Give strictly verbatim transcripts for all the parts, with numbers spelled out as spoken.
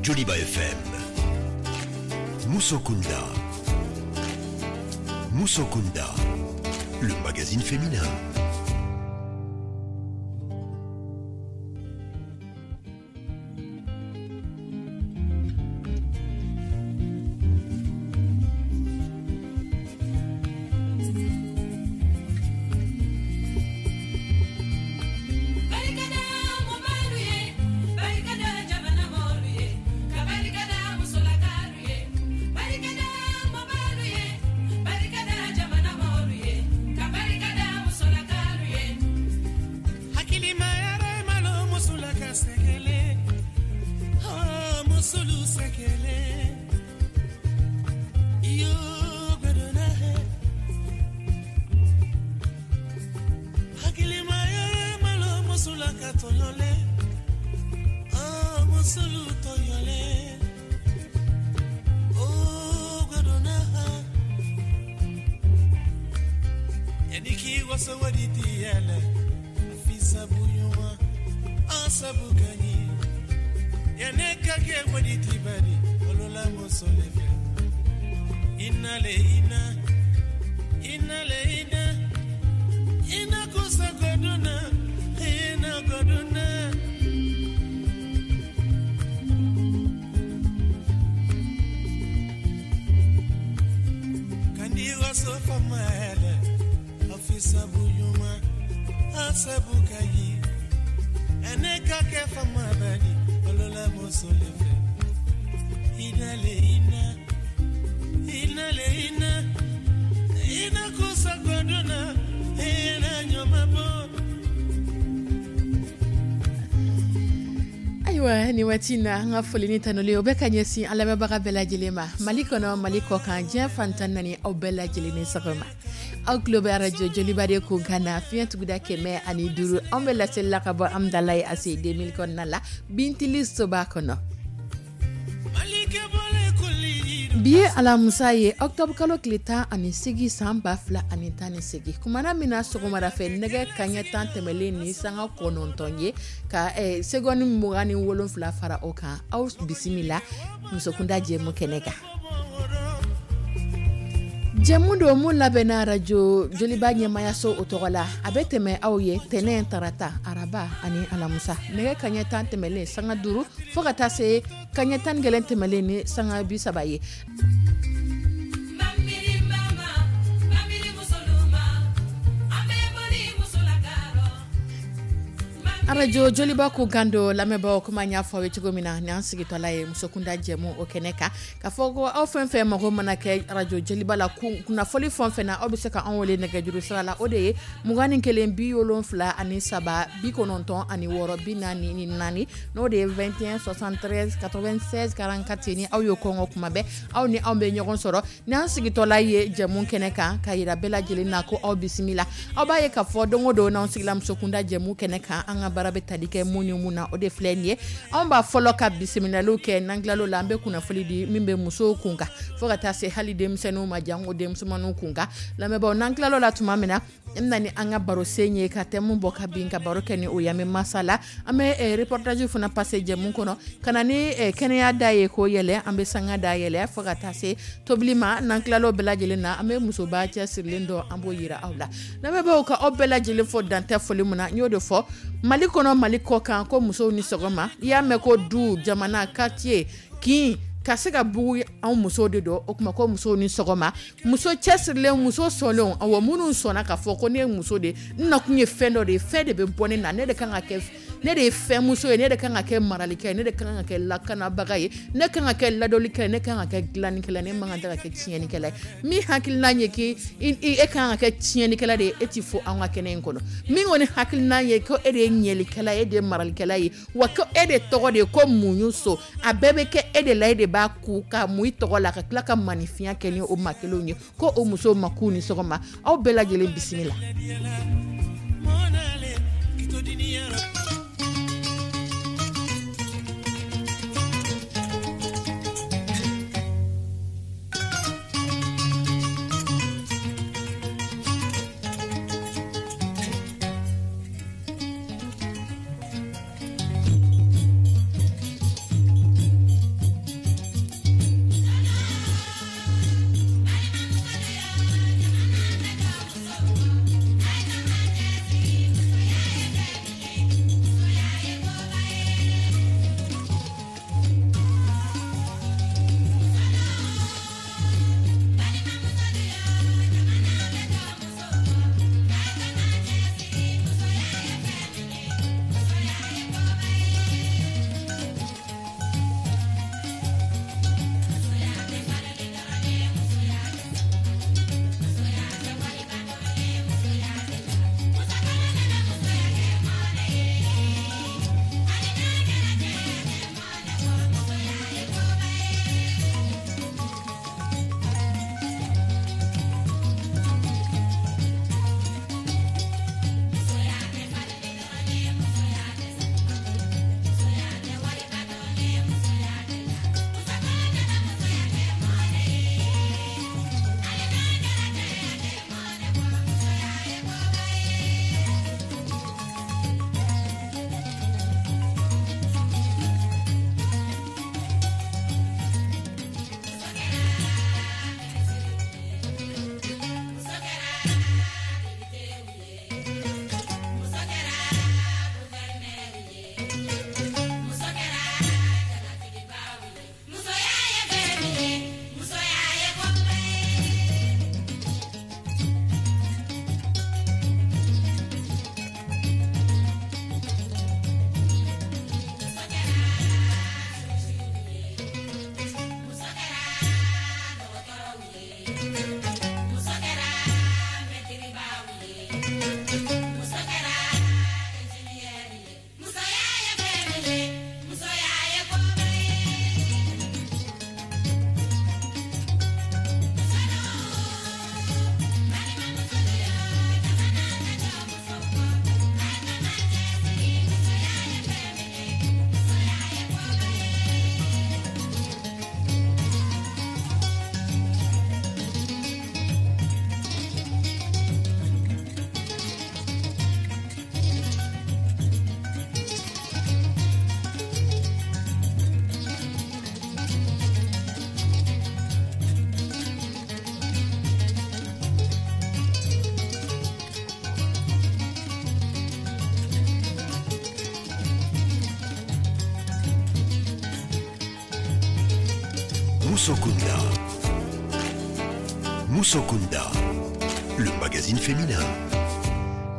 Joliba F M. Musokunda. Musokunda, le magazine féminin. Ayiwa, ni waati na, an ka foli ni tanuli, o bɛ ka ɲɛsin an lamɛnbaga bɛɛ lajɛlen ma, Mali kɔnɔ, Mali kɔ kan, diɲɛ fantan naani, aw bɛɛ lajɛlen ni sɔgɔma. Aw tulo bɛ arajo Joliba de kun kan na, fiɲɛ tuguda kɛmɛ ani duuru. Anw bɛ laseli la ka bɔ Amudalayi A C deux mille kɔnɔna la, Bintili soba kɔnɔ. Bi ye alamusa ye, octobre kalo tile tan ani segin, san ba fila ani tan ni segin. Kumana min na, sɔgɔmada fɛ nɛgɛ kaɲɛ tan tɛmɛlen ni sanga kɔnɔntɔn ye ka eh, seconde mugan ni wolonfila fara o kan, aw bisimila musokunda jɛmu kɛnɛ kan. Jɛmu don mun labɛnna arajo Joliba ɲɛmayaso o tɔgɔ la. A bɛ tɛmɛ aw ye tɛnɛn, tarata, araba ani alamusa, nɛgɛ kaɲɛ tan tɛmɛlen sanga duuru fo ka taa se kaɲɛ tan ni kelen tɛmɛlen ni sanga bi saba ye. Arajo Joliba ko gando lamɛnbagaw, kuma n y'a fɔ aw ye cogo min na, ni an sigitɔla ye musokunda jɛmu o kɛnɛ kan, ka fɔ ko aw fɛn fɛn mago mana kɛ arajo Joliba la kunnafoli fɛn fɛn na, aw bɛ se ka anw wele nɛgɛjuru sira la. O de ye mugan ni kelen bi wolonfila ani saba bi kɔnɔntɔn ani wɔɔrɔ bi naani ni naani, n'o de ye vingt et un soixante-treize quatre-vingt-seize quarante-quatre. Ni aw y'o kɔngɔ kuma bɛɛ, aw ni anw bɛ ɲɔgɔn sɔrɔ ni an sigitɔla ye jɛmu kɛnɛ kan, ka yira bɛɛ lajɛlen na ko aw bisimila. Aw b'a ye k'a fɔ don o don n'anw sigila musokunda jɛmu kɛnɛ kan, an ka baara bɛ tali kɛ mun ni mun na, o de filɛ nin ye. Anw b'a fɔlɔ ka bisimilaliw kɛ. N'an tilal'o la, an bɛ kunnafoli di min bɛ musow kun kan, fo ka taa se hali denmisɛnninw ma, janko denmisɛnninw kun kan. Lamɛnbaaw, n'an tilal'o la tuma min na, n bɛna ni an ka barosen ye, ka thème bɔ ka bin, ka baro kɛ ni o ye. An bɛ masala, an bɛ reportage fana passer jɛmu kɔnɔ, ka na ni kɛnɛya da ye k'o yɛlɛ, an bɛ sanga da yɛlɛ, fo ka taa se tobili ma. N'an tilal'o bɛɛ lajɛlen na, an bɛ musoba cɛsirilen dɔ, an b'o yira aw la. Lamɛnbaaw, ka aw bɛɛ lajɛlen fɔ dantɛ foli min na, n y'o de fɔ, Mali kɔnɔ, Mali kɔ kan, ko musow ni sɔgɔma. I y'a mɛn ko du, jamana, quartier, kin ka se ka bugu, anw musow de don. O tuma ko musow ni sɔgɔma, muso cɛsirilen, muso sɔnlenw, awɔ, minnu sɔnna k'a fɔ ko ne ye muso de ye, n nakun ye fɛn dɔ de ye, fɛn de bɛ bɔ ne na, ne de kan ka kɛ, ne de ye fɛn muso ye, ne de kan ka kɛ maralikɛ ye, ne de kan ka kɛ lakanabaga ye, ne kan ka kɛ ladɔlikɛ ye, ne kan ka kɛ dilannikɛla ye, ne man kan tɛ ka kɛ tiɲɛnikɛla ye. Min hakilina ye k'i e kan ka kɛ tiɲɛnikɛla de ye, e ti fɔ anw ka kɛnɛ in kɔnɔ. Min kɔni hakilina ye ko e de ye ɲɛlikɛla ye, e de ye maralikɛla ye, wa ko e de tɔgɔ de ye ko muɲu so, a bɛɛ bɛ kɛ e de la, e de b'a ku ka mun i tɔgɔ la, ka tila ka maninfinya kɛ ni o maa kelenw ye, ko o musow ma k'u ni sɔgɔma, aw bɛɛ lajɛlen bisimila. Musokunda. Musokunda, le magazine féminin.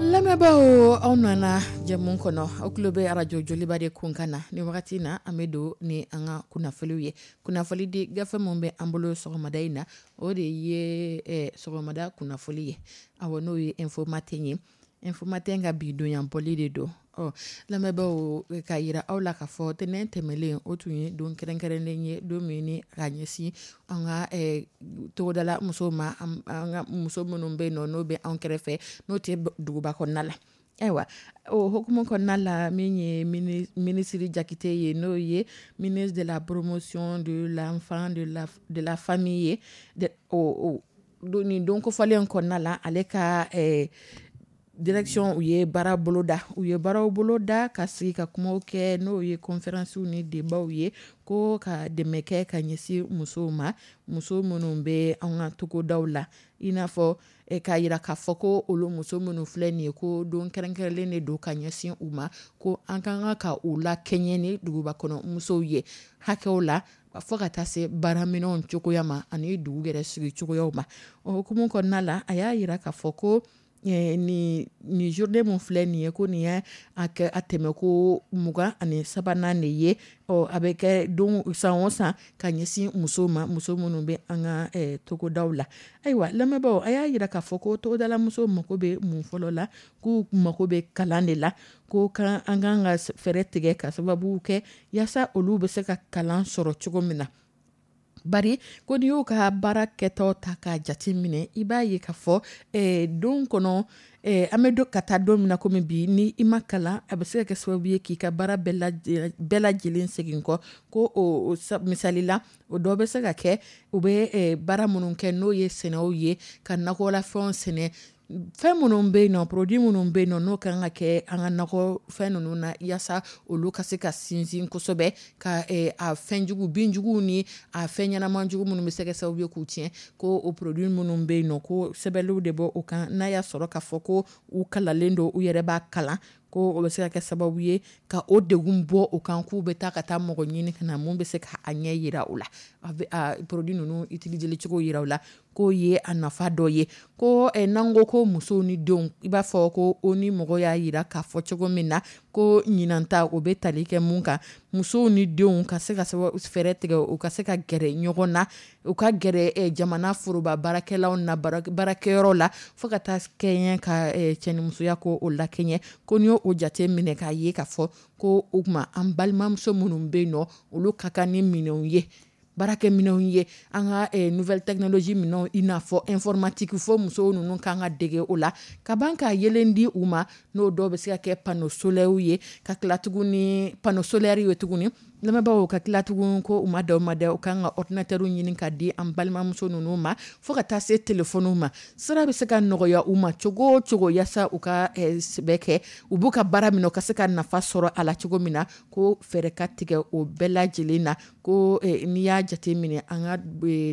Lamɛnbaaw, aw nana jɛmu kɔnɔ. Aw tulo bɛ arajo Joliba de kunkan na ni wagati na. An bɛ don ni an ka kunnafoniw ye. Kunnafoni di gafe min bɛ an bolo sɔgɔmada in na, o de ye eh, sɔgɔmada kunnafoni ye. Awɔ, n'o ye Info Matin ye. Info Matin ka bi donya bɔli de don. Ɔ, lamɛnbaaw, ka yira aw la k'a fɔ tɛnɛn tɛmɛlen, o tun ye don kɛrɛnkɛrɛnnen ye, don min ni ka ɲɛsin an ka eh, togodala musow ma, an ka muso minnu bɛ yen nɔ, n'o bɛ anw kɛrɛfɛ, n'o tɛ duguba kɔnɔna la. Ayiwa, o hukumu kɔnɔna la, min ye minisiri Jakite ye, n'o ye ministre de la Promotion de l'Enfant, de la, de la Famille ye, o o nin don kofɔlen kɔnɔna la, ale ka eh, direction, u ye baara boloda u ye baaraw boloda ka sigi ka kumaw kɛ, n'o ye conférence ni débatw ye, ko ka dɛmɛ kɛ ka ɲɛsin musow ma, muso minnu bɛ an ka togodaw la. I n'a fɔ k'a yira k'a fɔ ko olu muso minnu filɛ nin ye, ko don kɛrɛnkɛrɛnlen de don ka ɲɛsin u ma, ko an ka kan ka u lakɛɲɛ ni duguba kɔnɔ musow ye hakɛw la, fo ka taa se baaraminɛnw cogoya ma ani dugu yɛrɛ sigi cogoyaw ma. O hukumu kɔnɔna la, a y'a yira k'a fɔ ko nin nin journée mun filɛ nin ye, ko nin ye a kɛ a tɛmɛ ko mugan ani sabanan de ye. Ɔ, a bɛ kɛ don san o san ka ɲɛsin musow ma, muso minnu bɛ an ka togodaw la. Ayiwa, lamɛnbaaw, a y'a yira k'a fɔ ko togodala musow mako bɛ mun fɔlɔ la? K'u mako bɛ kalan de la, ko kan an kan ka fɛɛrɛ tigɛ ka sababu kɛ yaasa olu bɛ se ka kalan sɔrɔ cogo min na. Bari ko n'i y'u ka baara kɛtɔ ta k'a jate minɛ, i b'a ye k'a fɔ eh, don kɔnɔ eh, an bɛ don ka taa don min na komi bi, ni i ma kalan, a bɛ se ka kɛ sababu ye k'i ka baara bɛɛ lajɛlen segin kɔ. Ko o misali la, o dɔ bɛ se ka kɛ u bɛ eh, baara minnu kɛ, n'o ye sɛnɛw ye, ka nakɔlafɛnw sɛnɛ, fɛn minnu bɛ yen nɔ, produit minnu bɛ yen nɔ, n'o kan ka kɛ an ka nakɔ fɛn ninnu na, yaasa olu ka se ka sinsin kosɛbɛ, ka a fɛnjugu, binjuguw ni a fɛn ɲɛnama jugu minnu bɛ se ka sababu ye k'u tiɲɛ, ko o produit minnu bɛ yen nɔ, ko sɛbɛnniw de bɔ o kan. N'a y'a sɔrɔ k'a fɔ ko u kalanlen don, u yɛrɛ b'a kalan, ko o bɛ se ka kɛ sababu ye ka o degun bɔ o kan, k'u bɛ taa ka taa mɔgɔ ɲini ka na mun bɛ se ka a ɲɛ yira u la, a bɛ a produit ninnu utiliser cogo yira u la, k'o ye a nafa dɔ ye. Ko n'an ko ko musow ni denw, i b'a fɔ ko o ni mɔgɔ y'a yira k'a fɔ cogo min na ko ɲinan ta, o bɛ tali kɛ mun kan? Musow ni denw ka se ka fɛɛrɛ tigɛ, u ka se ka gɛrɛ ɲɔgɔn na, u ka gɛrɛ jamana foroba baarakɛlaw na, baarakɛyɔrɔ la, fo ka taa kɛɲɛ ka cɛnimusoya ko o lakɛɲɛ. Ko n'i y'o jate minɛ k'a ye k'a fɔ ko o tuma an balimamuso minnu bɛ yen nɔ, olu ka kan ni minɛnw ye, baarakɛminɛnw ye, an ka nouvelle technologie minɛnw, i n'a fɔ informatique, fo musow ninnu kan ka dege o la ka ban ka yelen di u ma, n'o dɔw bɛ se ka kɛ panneau solaire ye, ka tila tuguni panneau solaire ye tuguni. Lamɛnbaaw, ka tila tugun ko u ma da u ma da, u kan ka ordinateur ɲini ka di an balimamuso ninnu ma, fo ka taa se téléphone ma. Sira bɛ se ka nɔgɔya u ma cogo o cogo, yaasa u ka sɛbɛ kɛ, u b'u ka baara minɛ, u ka se ka nafa sɔrɔ a la cogo min na, ko fɛɛrɛ ka tigɛ o bɛɛ lajɛlen na. Ko n'i y'a jate minɛ an ka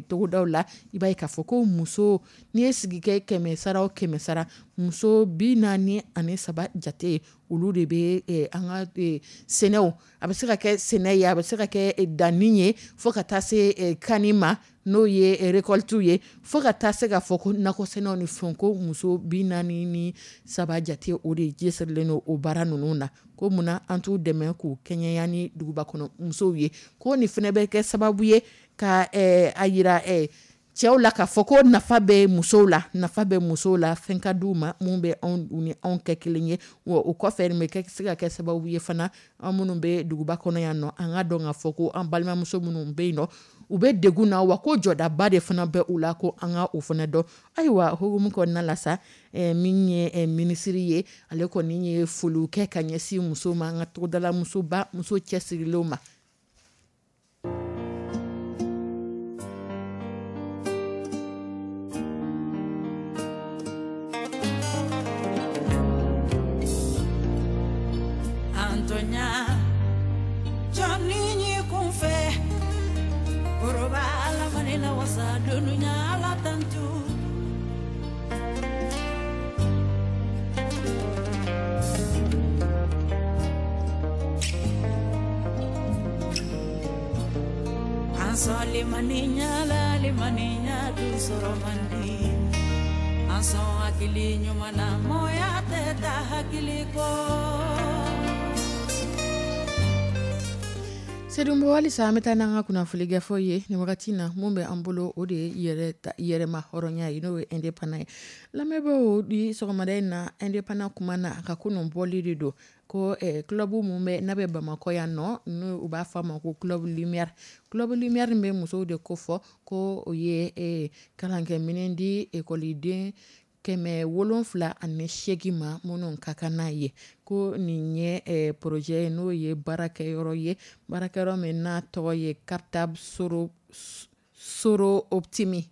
togodaw la, i b'a ye k'a fɔ ko muso, n'i ye sigi kɛ kɛmɛ sara o kɛmɛ sara, muso bi naani ani saba jate, olu de bɛ an ka sɛnɛw, a bɛ se ka kɛ sɛnɛ ye, a bɛ se ka kɛ danni ye, fo ka taa se kanni ma, n'o ye récolte ye, fo ka taa se k'a fɔ ko nakɔ sɛnɛw ni fɛnw, ko muso bi naani ni saba jate, o de cɛsirilen don o baara ninnu na. Ko munna an t'u dɛmɛ k'u kɛɲɛya ni duguba kɔnɔ musow ye? Ko nin fana bɛ kɛ sababu ye ka a yira cɛw la k'a fɔ ko nafa bɛ musow la, nafa bɛ musow la, fɛn ka d'u ma mun bɛ anw ni anw kɛ kelen ye. Wa o kɔfɛ, nin bɛ kɛ se ka kɛ sababu ye fana, an minnu bɛ duguba kɔnɔ yan nɔ, an ka dɔn k'a fɔ ko an balimamuso minnu bɛ yen nɔ, u bɛ degun na, wa ko jɔdaba de fana bɛ u la, ko an ka o fana dɔn. Ayiwa, hukumu kɔnɔna la sa, min ye minisiri ye, ale kɔni ye foliw kɛ ka ɲɛsin musow ma, an ka togodala musoba, muso cɛsirilenw ma. An sɔn limaniya la, limaniya dun sɔrɔ man di. An sɔn hakili ɲuman na, mɔgɔya tɛ taa hakili kɔ. Seydou Mbow, halisa an bɛ taa n'an ka kunnafoni gafew ye nin wagati na. Mun bɛ an bolo, o de ye yɛrɛ yɛrɛma hɔrɔnya ye, n'o ye indépendant ye. Lamɛnbaaw, bi sɔgɔmada in na, indépendant kuma na, a ka kunun bɔli de don ko eh, club mun bɛ n'a bɛ Bamakɔ yan nɔ, n'u u b'a fɔ a ma ko Club Lumière. Club Lumière bɛ musow de kofɔ, ko o ye eh, kalankɛminɛn di ekɔliden kɛmɛ wolonfila ani seegin ma minnu ka kan n'a ye. Ko nin ye eh, projet ye, n'o ye baarakɛyɔrɔ ye, baarakɛyɔrɔ min n'a tɔgɔ ye Cartable Soro Soro Optimi.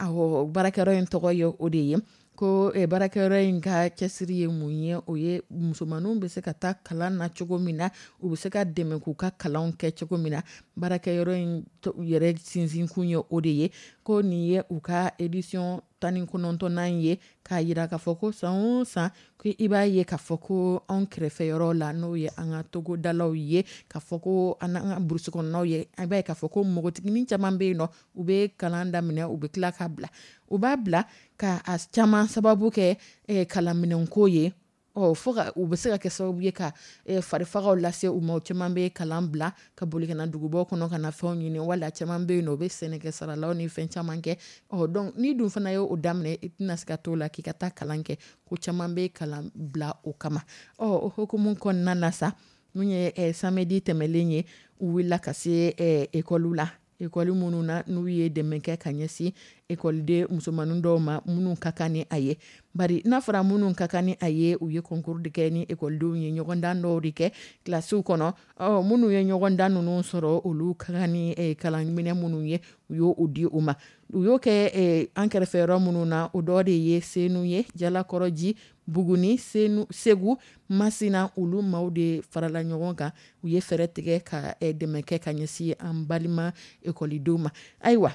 Awɔ, baarakɛyɔrɔ in tɔgɔ ye o de ye. Ko eh, baarakɛyɔrɔ in ka cɛsiri ye mun ye? O ye musomaninw bɛ se ka taa kalan na cogo min na, u bɛ se ka dɛmɛ k'u ka kalanw kɛ cogo min na. Baarakɛyɔrɔ in yɛrɛ sinsinkun ye o de ye. Ko nin ye u ka édition tan ni kɔnɔntɔnnan ye, k'a yira k'a fɔ ko san o san ko i b'a ye k'a fɔ ko anw kɛrɛfɛyɔrɔ la, n'o ye an ka togodalaw ye, k'a fɔ ko an ka burusi kɔnɔnaw ye, an b'a ye k'a fɔ ko npogotiginin caman bɛ yen nɔ, u bɛ kalan daminɛ, u bɛ tila k'a bila. U b'a bila ka a caman sababu kɛ eh, kalanminɛnko ye. Ɔ, fo ka u bɛ se ka kɛ sababu ye ka eh, farifagaw lase u ma. U caman bɛ kalan bila ka boli ka na dugubaw kɔnɔ ka na fɛnw ɲini, wala caman bɛ yen nɔ, u bɛ sɛnɛkɛ saralaw ni fɛn caman kɛ. Ɔ, donc n'i dun fana ye o daminɛ, i tɛna se ka t'o la k'i ka taa kalan kɛ. Ko caman bɛ kalan bila o kama. Ɔ, o hukumu kɔnɔna na sa, mun ye eh, samedi tɛmɛlen ye, u wulila ka se eh, ekɔliw la, ekɔli minnu na n'u ye dɛmɛ kɛ ka ɲɛsin ekɔliden musomanin dɔw ma minnu ka kan ni a ye. Bari n'a fɔra minnu ka kan ni a ye, u ye concours de kɛ ni ekɔlidenw ye, ɲɔgɔndan dɔw de kɛ kilasiw kɔnɔ. Ɔ, minnu ye ɲɔgɔndan ninnu sɔrɔ, olu ka kan ni eh, kalanminɛ minnu ye, u y'o di u ma. U y'o kɛ eh, an kɛrɛfɛ yɔrɔ minnu na, o dɔ de ye Senu ye, Jalakɔrɔji, Buguni, Senu, Segu, Masina. Olu maaw de farala ɲɔgɔn kan, u ye fɛɛrɛ tigɛ ka eh, dɛmɛ kɛ ka ɲɛsin an balima ekɔlidenw ma. Ayiwa,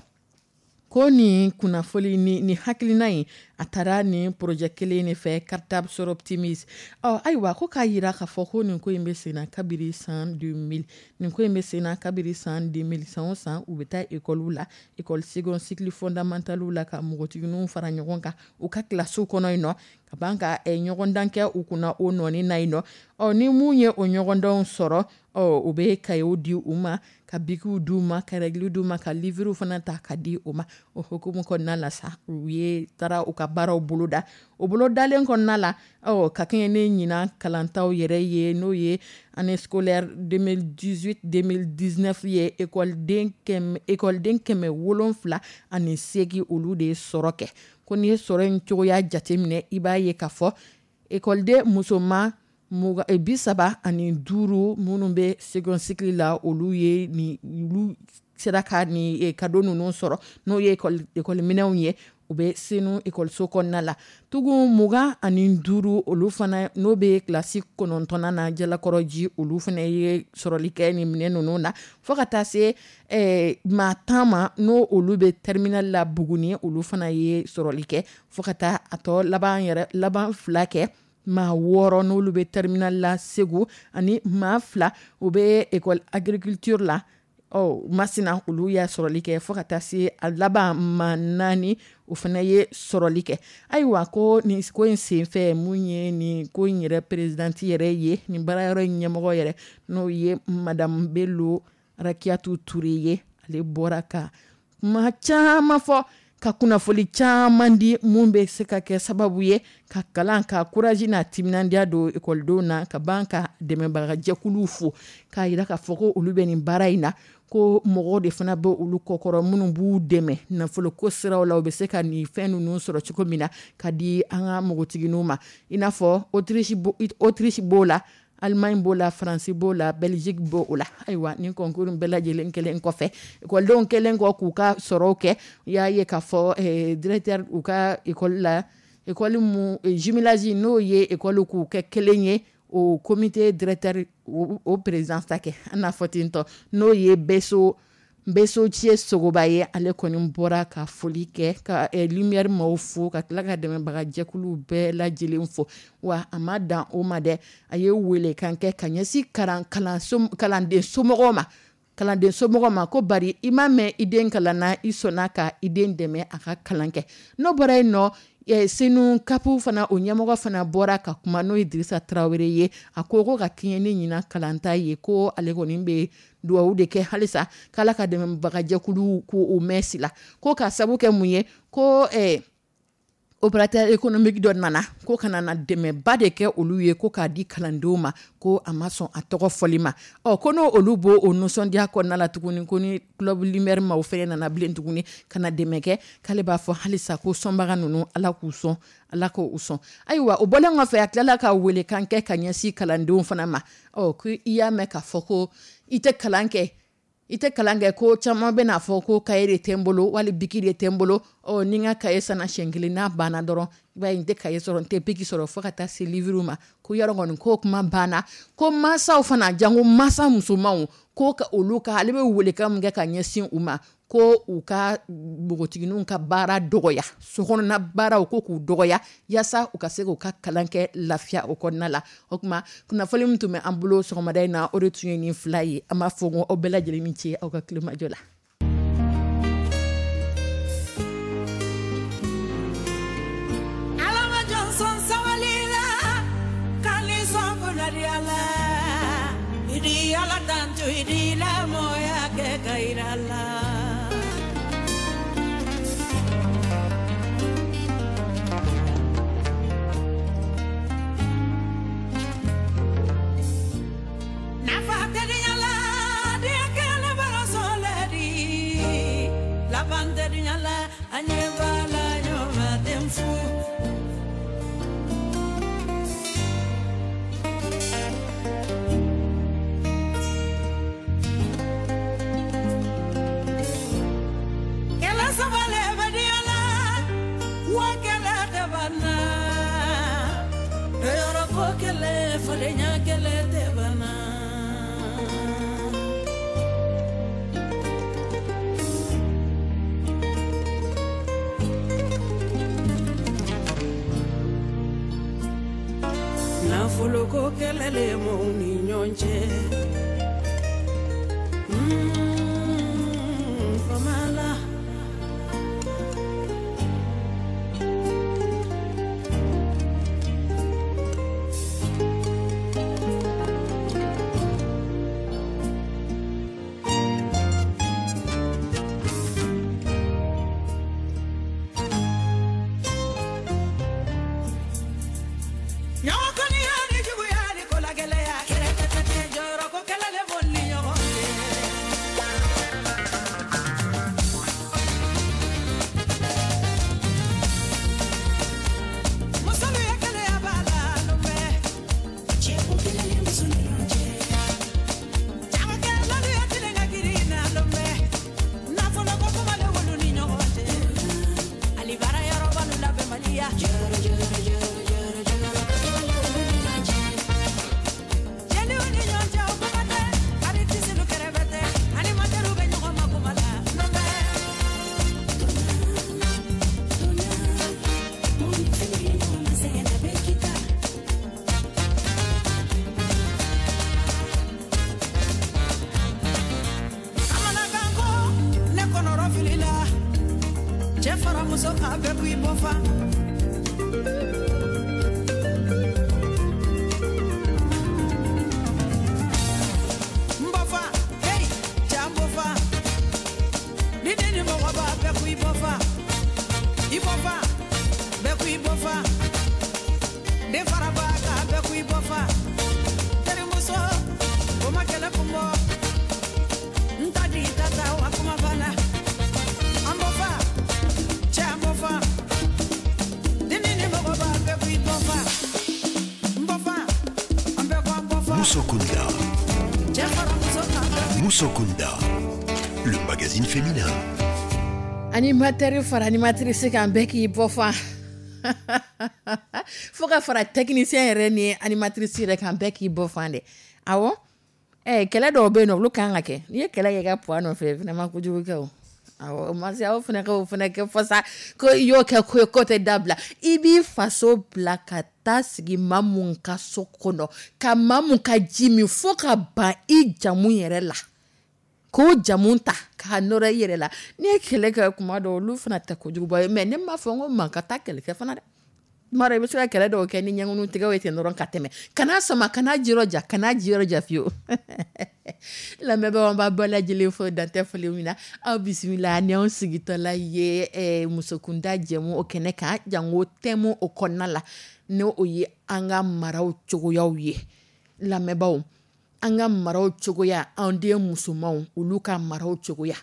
ko nin kunnafoli ni nin hakilina in, a taara nin projet kelen de fɛ, Cartable Soroptimist. Ɔ, ayiwa, ko k'a yira k'a fɔ ko nin ko in bɛ sen na kabiri san deux mille. Nin ko in bɛ sen na kabiri san deux mille. San o san, u bɛ taa ekɔliw la, école second cycle fondamental la, ka npogotigininw fara ɲɔgɔn kan u ka kilasiw kɔnɔ yen nɔ, ka ban ka eh, ɲɔgɔndan kɛ u kunna o nɔɔni na yen nɔ. Ɔ, ni mun ye o ɲɔgɔndanw sɔrɔ, ɔ, u bɛ kayew di u ma, ka bikiw d'u ma, ka rɛgiliw d'u ma, ka livrew fana ta ka di u ma. O hukumu kɔnɔna la sa, u ye taara u ka baaraw boloda. O bolodalen kɔnɔna la, ɔ, ka kɛɲɛ ni ɲinan kalantaw yɛrɛ ye, n'o ye année scolaire deux mille dix-huit deux mille dix-neuf ye, ekɔliden kɛmɛ ekɔliden kɛmɛ wolonfila ani seegin, olu de ye sɔrɔ kɛ. Ko n'i ye sɔrɔ in cogoya jateminɛ, i b'a ye k'a fɔ ekɔliden musoman bi saba ani duuru minnu bɛ second cycle la, olu ye ni olu sera ka ni cadeau ninnu sɔrɔ, n'o ye ekɔliminɛnw ye, u bɛ Senu ekɔliso kɔnɔna la. Tugun mugan ani duuru, olu fana n'o bɛ kilasi kɔnɔntɔnnan na Jalakɔrɔji, olu fana ye sɔrɔli kɛ nin minɛn ninnu na, fo ka taa se eh, maa tan ma, n'o olu bɛ terminale la Buguni, olu fana ye sɔrɔli kɛ, fo ka taa a tɔ laban yɛrɛ laban fila kɛ maa wɔɔrɔ, n'olu bɛ terminale la Segu, ani maa fila, u bɛ école agriculture la, ɔ, Masina, olu y'a sɔrɔli kɛ, fo ka taa se a laban maa naani, o fana ye sɔrɔli kɛ. Ayiwa, ko nin ko in senfɛ, mun ye nin ko in yɛrɛ présidente yɛrɛ ye, nin baarayɔrɔ in ɲɛmɔgɔ yɛrɛ, n'o ye Madame Bello Rakiyatu Ture ye, ale bɔra ka kuma caman fɔ, ka kunnafoli caman di mun bɛ se ka kɛ sababu ye ka kalan ka courage n'a timinandiya don ekɔlidenw na, ka ban ka dɛmɛbagajɛkuluw fo, k'a yira k'a fɔ ko olu bɛ nin baara in na, ko mɔgɔw de fana bɛ olu kɔkɔrɔ minnu b'u dɛmɛ nafoloko siraw la, u bɛ se ka nin fɛn ninnu sɔrɔ cogo min na ka di an ka npogotigininw ma, i n'a fɔ Autriche Autriche b'o la, Allemagne b'o la, Faransi b'o la, Belgique b'o la. Ayiwa, nin concours bɛɛ lajɛlen kɛlen kɔfɛ, ekɔlidenw kɛlen kɔ k'u ka sɔrɔw kɛ, u y'a ye k'a fɔ eh, directeur u ka ekɔli la, ekɔli mu jumelage, n'o ye ekɔli k'u kɛ kelen ye, o comité directeur, o, o président ta kɛ, an n'a fɔ ten tɔ, n'o ye Beso Beso Cie Sogoba ye, ale kɔni bɔra ka foli kɛ, ka eh, Lumière maaw fo, ka tila ka dɛmɛbagajɛkuluw bɛɛ lajɛlen fo. Wa a ma dan o ma dɛ, a ye welekan kɛ ka ɲɛsin kalan kalanso kalanden somɔgɔw ma. Kalanden somɔgɔ ma ko bari i m'a mɛn i den kalan na, i sɔnna ka i den dɛmɛ a ka kalan kɛ. N'o bɔra yen nɔ, Senu C A P fana, o ɲɛmɔgɔ fana bɔra ka kuma, n'o ye Dirisa Tarawele ye. A ko ko ka kɛɲɛ ni ɲinan kalanta ye, ko ale kɔni bɛ dugawu de kɛ halisa k'Ala ka dɛmɛbagajɛkulu k'u mɛn si la, ko ka sabu kɛ mun ye, ko eh, opérateur économique dɔ nana ko ka na dɛmɛba de kɛ olu ye, ko k'a di kalandenw ma, ko a ma sɔn a tɔgɔ fɔli ma. Ɔ ko n'o olu b'o o nisɔndiya kɔnɔna la tuguni, ko ni club Lumière maaw fɛnɛ nana bilen tuguni ka na dɛmɛ kɛ, k'ale b'a fɔ halisa ko sɔnbaga ninnu, Ala k'u sɔn, Ala k'u sɔn. Ayiwa, o bɔlen kɔfɛ, a tilala ka welekan kɛ ka ɲɛsin kalandenw fana ma. Ɔ ko i y'a mɛn k'a fɔ ko i tɛ kalan kɛ, i tɛ kalan kɛ, ko caman bɛna fɔ ko kaye de tɛ n bolo, wali biki de tɛ n bolo. Ɔ ni n ka kaye sanna siɲɛ kelen, n'a banna dɔrɔn, i b'a ye n tɛ kaye sɔrɔ, n tɛ biki sɔrɔ, fo ka taa se livre ma. Ko yɔrɔ kɔni k'o kuma banna. Ko mansaw fana, jango mansa musomanw, ko ka olu ka, ale bɛ welekan min kɛ ka ɲɛsin u ma, ko u ka npogotigininw ka baara dɔgɔya, sokɔnɔna baaraw ko k'u dɔgɔya, yaasa u ka se k'u ka kalan kɛ lafiya o kɔnɔna la. O tuma kunnafoni min tun bɛ an bolo sɔgɔmada in na, o de tun ye nin fila ye. An b'a fɔ ko aw bɛɛ lajɛlen ni ce aw ka tulomajɔ la. Ala ma jɔn sɔn sabali la, k'ale sɔn kunnadiya la. I di Ala tanto, i di lamɔya kɛ ka yira la. Nafa tɛ diɲɛ la, diɲɛ kɛlen bara sɔlɛ di. Laban tɛ diɲɛ la, an ɲɛ b'a la ɲɔgɔn tɛ fu. Kɛlɛ saba le bɛ diɲɛ la, wa kɛlɛ tɛ ban na. Yɔrɔ ko kɛlɛ, fadenya kɛlɛ tɛ ban na. Nafolo ko kɛlɛ le m'o ni ɲɔgɔn cɛ. Mm, fama la. Ɲɔgɔn kɔniya ni juguya ni ko la gɛlɛya, kɛrɛkɛtɛ jɔyɔrɔ ko kɛlɛ le b'o ni ɲɔgɔn cɛ. Musolu ye kɛnɛya b'a la lomɛ. Cɛko kɛlɛ le muso ni ɲɔgɔn cɛ. Jagokɛlalu ye tilen ka girin na lomɛ. Nafolo ko kuma le wolu ni ɲɔgɔn cɛ. Ali baara yɔrɔbalu labɛnbaliya. Jɔrɔ jɔrɔ jɔrɔ jɔrɔ jɔrɔ ko kɛlɛ le wolu ni ɲɔgɔn cɛ. Jeliw ni ɲɔgɔn cɛ o kuma tɛ, aritisilu kɛrɛfɛ tɛ, animatɛriw bɛ ɲɔgɔn ma kuma la lomɛ. Kamanagan ko ne kɔnɔrɔ filila, cɛ fara muso kan bɛɛ k'i bɔ fa. N bɔ fa, hey, cɛ n bɔ fa. Ni den ni mɔgɔ b'a bɛɛ k'i bɔ fa. I bɔ fa, bɛɛ k'i bɔ fa. Den fara b'a kan bɛɛ k'i bɔ fa. Terimuso, o ma kɛlɛ kun bɔ. N ta di ta ta wa kuma banna. An bɔ fa, cɛ an bɔ fa. Ni ni mɔgɔ b'a bɛɛ k'i bɔ fa. N bɔ fa, an bɛɛ ko an bɔ fa. Musokunda. Cɛ fara muso kan bɛɛ k'i Musokunda, le magazine féminin. Animateur fara animatrice kan, bɛɛ k'i bɔ fa, fo ka fara technicien yɛrɛ ni animatrice yɛrɛ kan, bɛɛ k'i bɔ fan dɛ. Awɔ, eh, kɛlɛ dɔw bɛ yen nɔ, olu kan ka kɛ. N'i ye kɛlɛ kɛ i ka poids nɔfɛ, vraiment kojugu kɛ o. Awɔ, o ma se aw fana ka o fana kɛ fɔ sa ko i y'o kɛ ko ye ko tɛ dabila. I b'i faso bila ka taa sigi maa mun ka so kɔnɔ, ka maa mun ka ji min fo ka ban i jamu yɛrɛ la. K'o jamu ta k'a nɔrɔ i yɛrɛ la. N'i ye kɛlɛ kɛ kuma dɔw, olu fana tɛ kojuguba ye, mais ne m'a fɔ n ko man ka taa kɛlɛ kɛ fana dɛ. Tuma dɔ i bɛ se ka kɛlɛ dɔw kɛ ni ɲɛŋunu tigɛw ye ten dɔrɔn ka tɛmɛ. Kana sama, kana jija, kana jija fiyewu. Lamɛnbaaw, an b'a bɛɛ lajɛlen fo dantɛ foli min na. Aw bisimila ni anw sigitɔla ye eh, musokunda jɛmu o kɛnɛ kan, jango thème o kɔnɔna la, n'o o ye an ka maraw cogoyaw ye. Lamɛnbaaw, an ka maraw cogoya, an den musomanw olu ka maraw cogoya,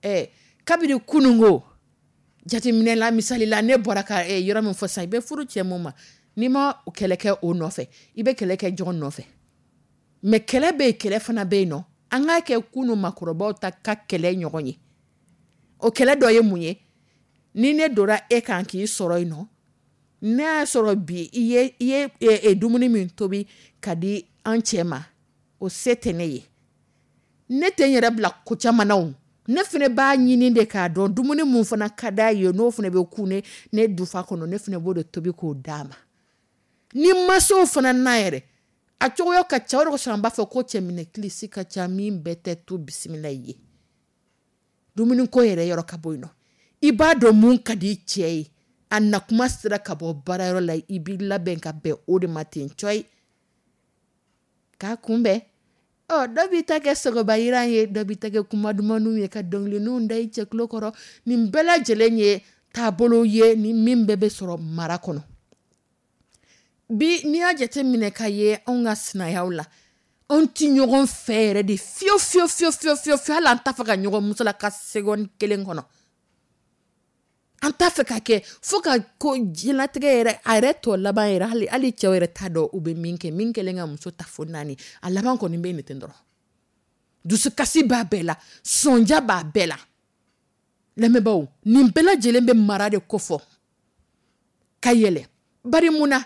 eh, kabini kunungo jateminɛ la, misali la, ne bɔra ka eh, yɔrɔ min fɔ sisan, i bɛ furu cɛ mun ma, n'i ma kɛlɛ kɛ o nɔfɛ, i bɛ kɛlɛ kɛ jɔn nɔfɛ? Mais kɛlɛ bɛ yen, kɛlɛ fana bɛ yen nɔ. An k'a kɛ kunu makɔrɔbaw ta ka kɛlɛ ɲɔgɔn ye. O kɛlɛ dɔ ye mun ye? Ni ne donna e kan k'i sɔrɔ yen nɔ, ne y'a sɔrɔ bi i ye i ye e, e, dumuni min tobi ka di an cɛ ma, o se tɛ ne ye. Ne tɛ n yɛrɛ bila ko caman na o. Ne fana b'a ɲini de k'a dɔn dumuni mun fana ka d'a ye, n'o fana bɛ kun ne ne dufa kɔnɔ, ne fana b'o de tobi k'o d'a ma. Ni masaw fana na yɛrɛ a cogoya ka ca, o de kosɔn an b'a fɔ ko cɛminɛ kilisi ka ca, min bɛɛ tɛ to bisimila ye. Dumuni ko yɛrɛ yɔrɔ ka bɔ yen nɔ, i b'a dɔn mun ka di cɛ ye, a nakuma sera ka bɔ baarayɔrɔ la, i b'i labɛn ka bɛn o de ma ten cɔyi k'a kunbɛn. Ɔ, dɔ b'i ta kɛ sɔgɔbayiran ye, dɔ b'i ta kɛ kuma dumanw ye, ka dɔnkiliniw da i cɛ tulo kɔrɔ. Nin bɛɛ lajɛlen ye taabolo ye ni min bɛɛ bɛ sɔrɔ mara kɔnɔ. Bi n'i y'a jateminɛ ka ye anw ka sinayaw la, anw ti ɲɔgɔn fɛ yɛrɛ de fiyewu fiyewu fiyewu fiyewu fiyewu fiyewu. Hali an t'a fɛ ka ɲɔgɔn musalaka seconde kelen kɔnɔ, an t'a fɛ ka kɛ fo ka ko diɲɛlatigɛ yɛrɛ a yɛrɛ tɔ laban yɛrɛ. Hali hali cɛw yɛrɛ t'a dɔn u bɛ min kɛ, min kɛlen ka muso ta fo naani, a laban kɔni bɛ nin ten dɔrɔn. Dusukasi b'a bɛɛ la, sɔnja b'a bɛɛ la. Lamɛnbaaw, nin bɛɛ lajɛlen bɛ mara de kofɔ ka yɛlɛ. Bari mun na?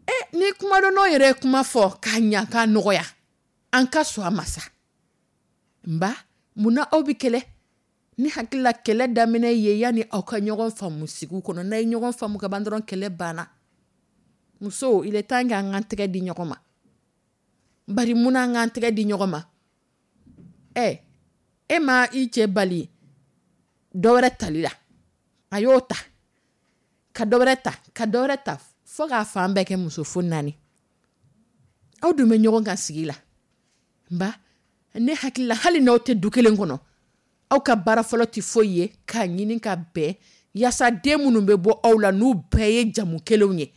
E ni kumadɔnnaw yɛrɛ ye kuma fɔ k'a ɲa k'a nɔgɔya, an ka sɔn a ma sa. Nba mun na aw bɛ kɛlɛ? Ni hakili la, kɛlɛ daminɛ ye yanni aw ka ɲɔgɔn faamu sigi kɔnɔ. N'a ye ɲɔgɔn faamu ka ban dɔrɔn, kɛlɛ banna. Musow, il est temps que an k'an tɛgɛ di ɲɔgɔn ma. Bari mun na an k'an tɛgɛ di ɲɔgɔn ma? Ɛ, e ma i cɛ bali dɔ wɛrɛ tali la, a y'o ta ka dɔ wɛrɛ ta ka dɔ wɛrɛ ta fo k'a fan bɛɛ kɛ muso fo naani. Aw dun bɛ ɲɔgɔn kan sigi la. Nba ne hakili la, hali n'aw tɛ du kelen kɔnɔ, aw ka baara fɔlɔ tɛ foyi ye k'a ɲini ka bɛn, yaasa den minnu bɛ bɔ aw la, n'u bɛɛ ye jamu kelenw ye,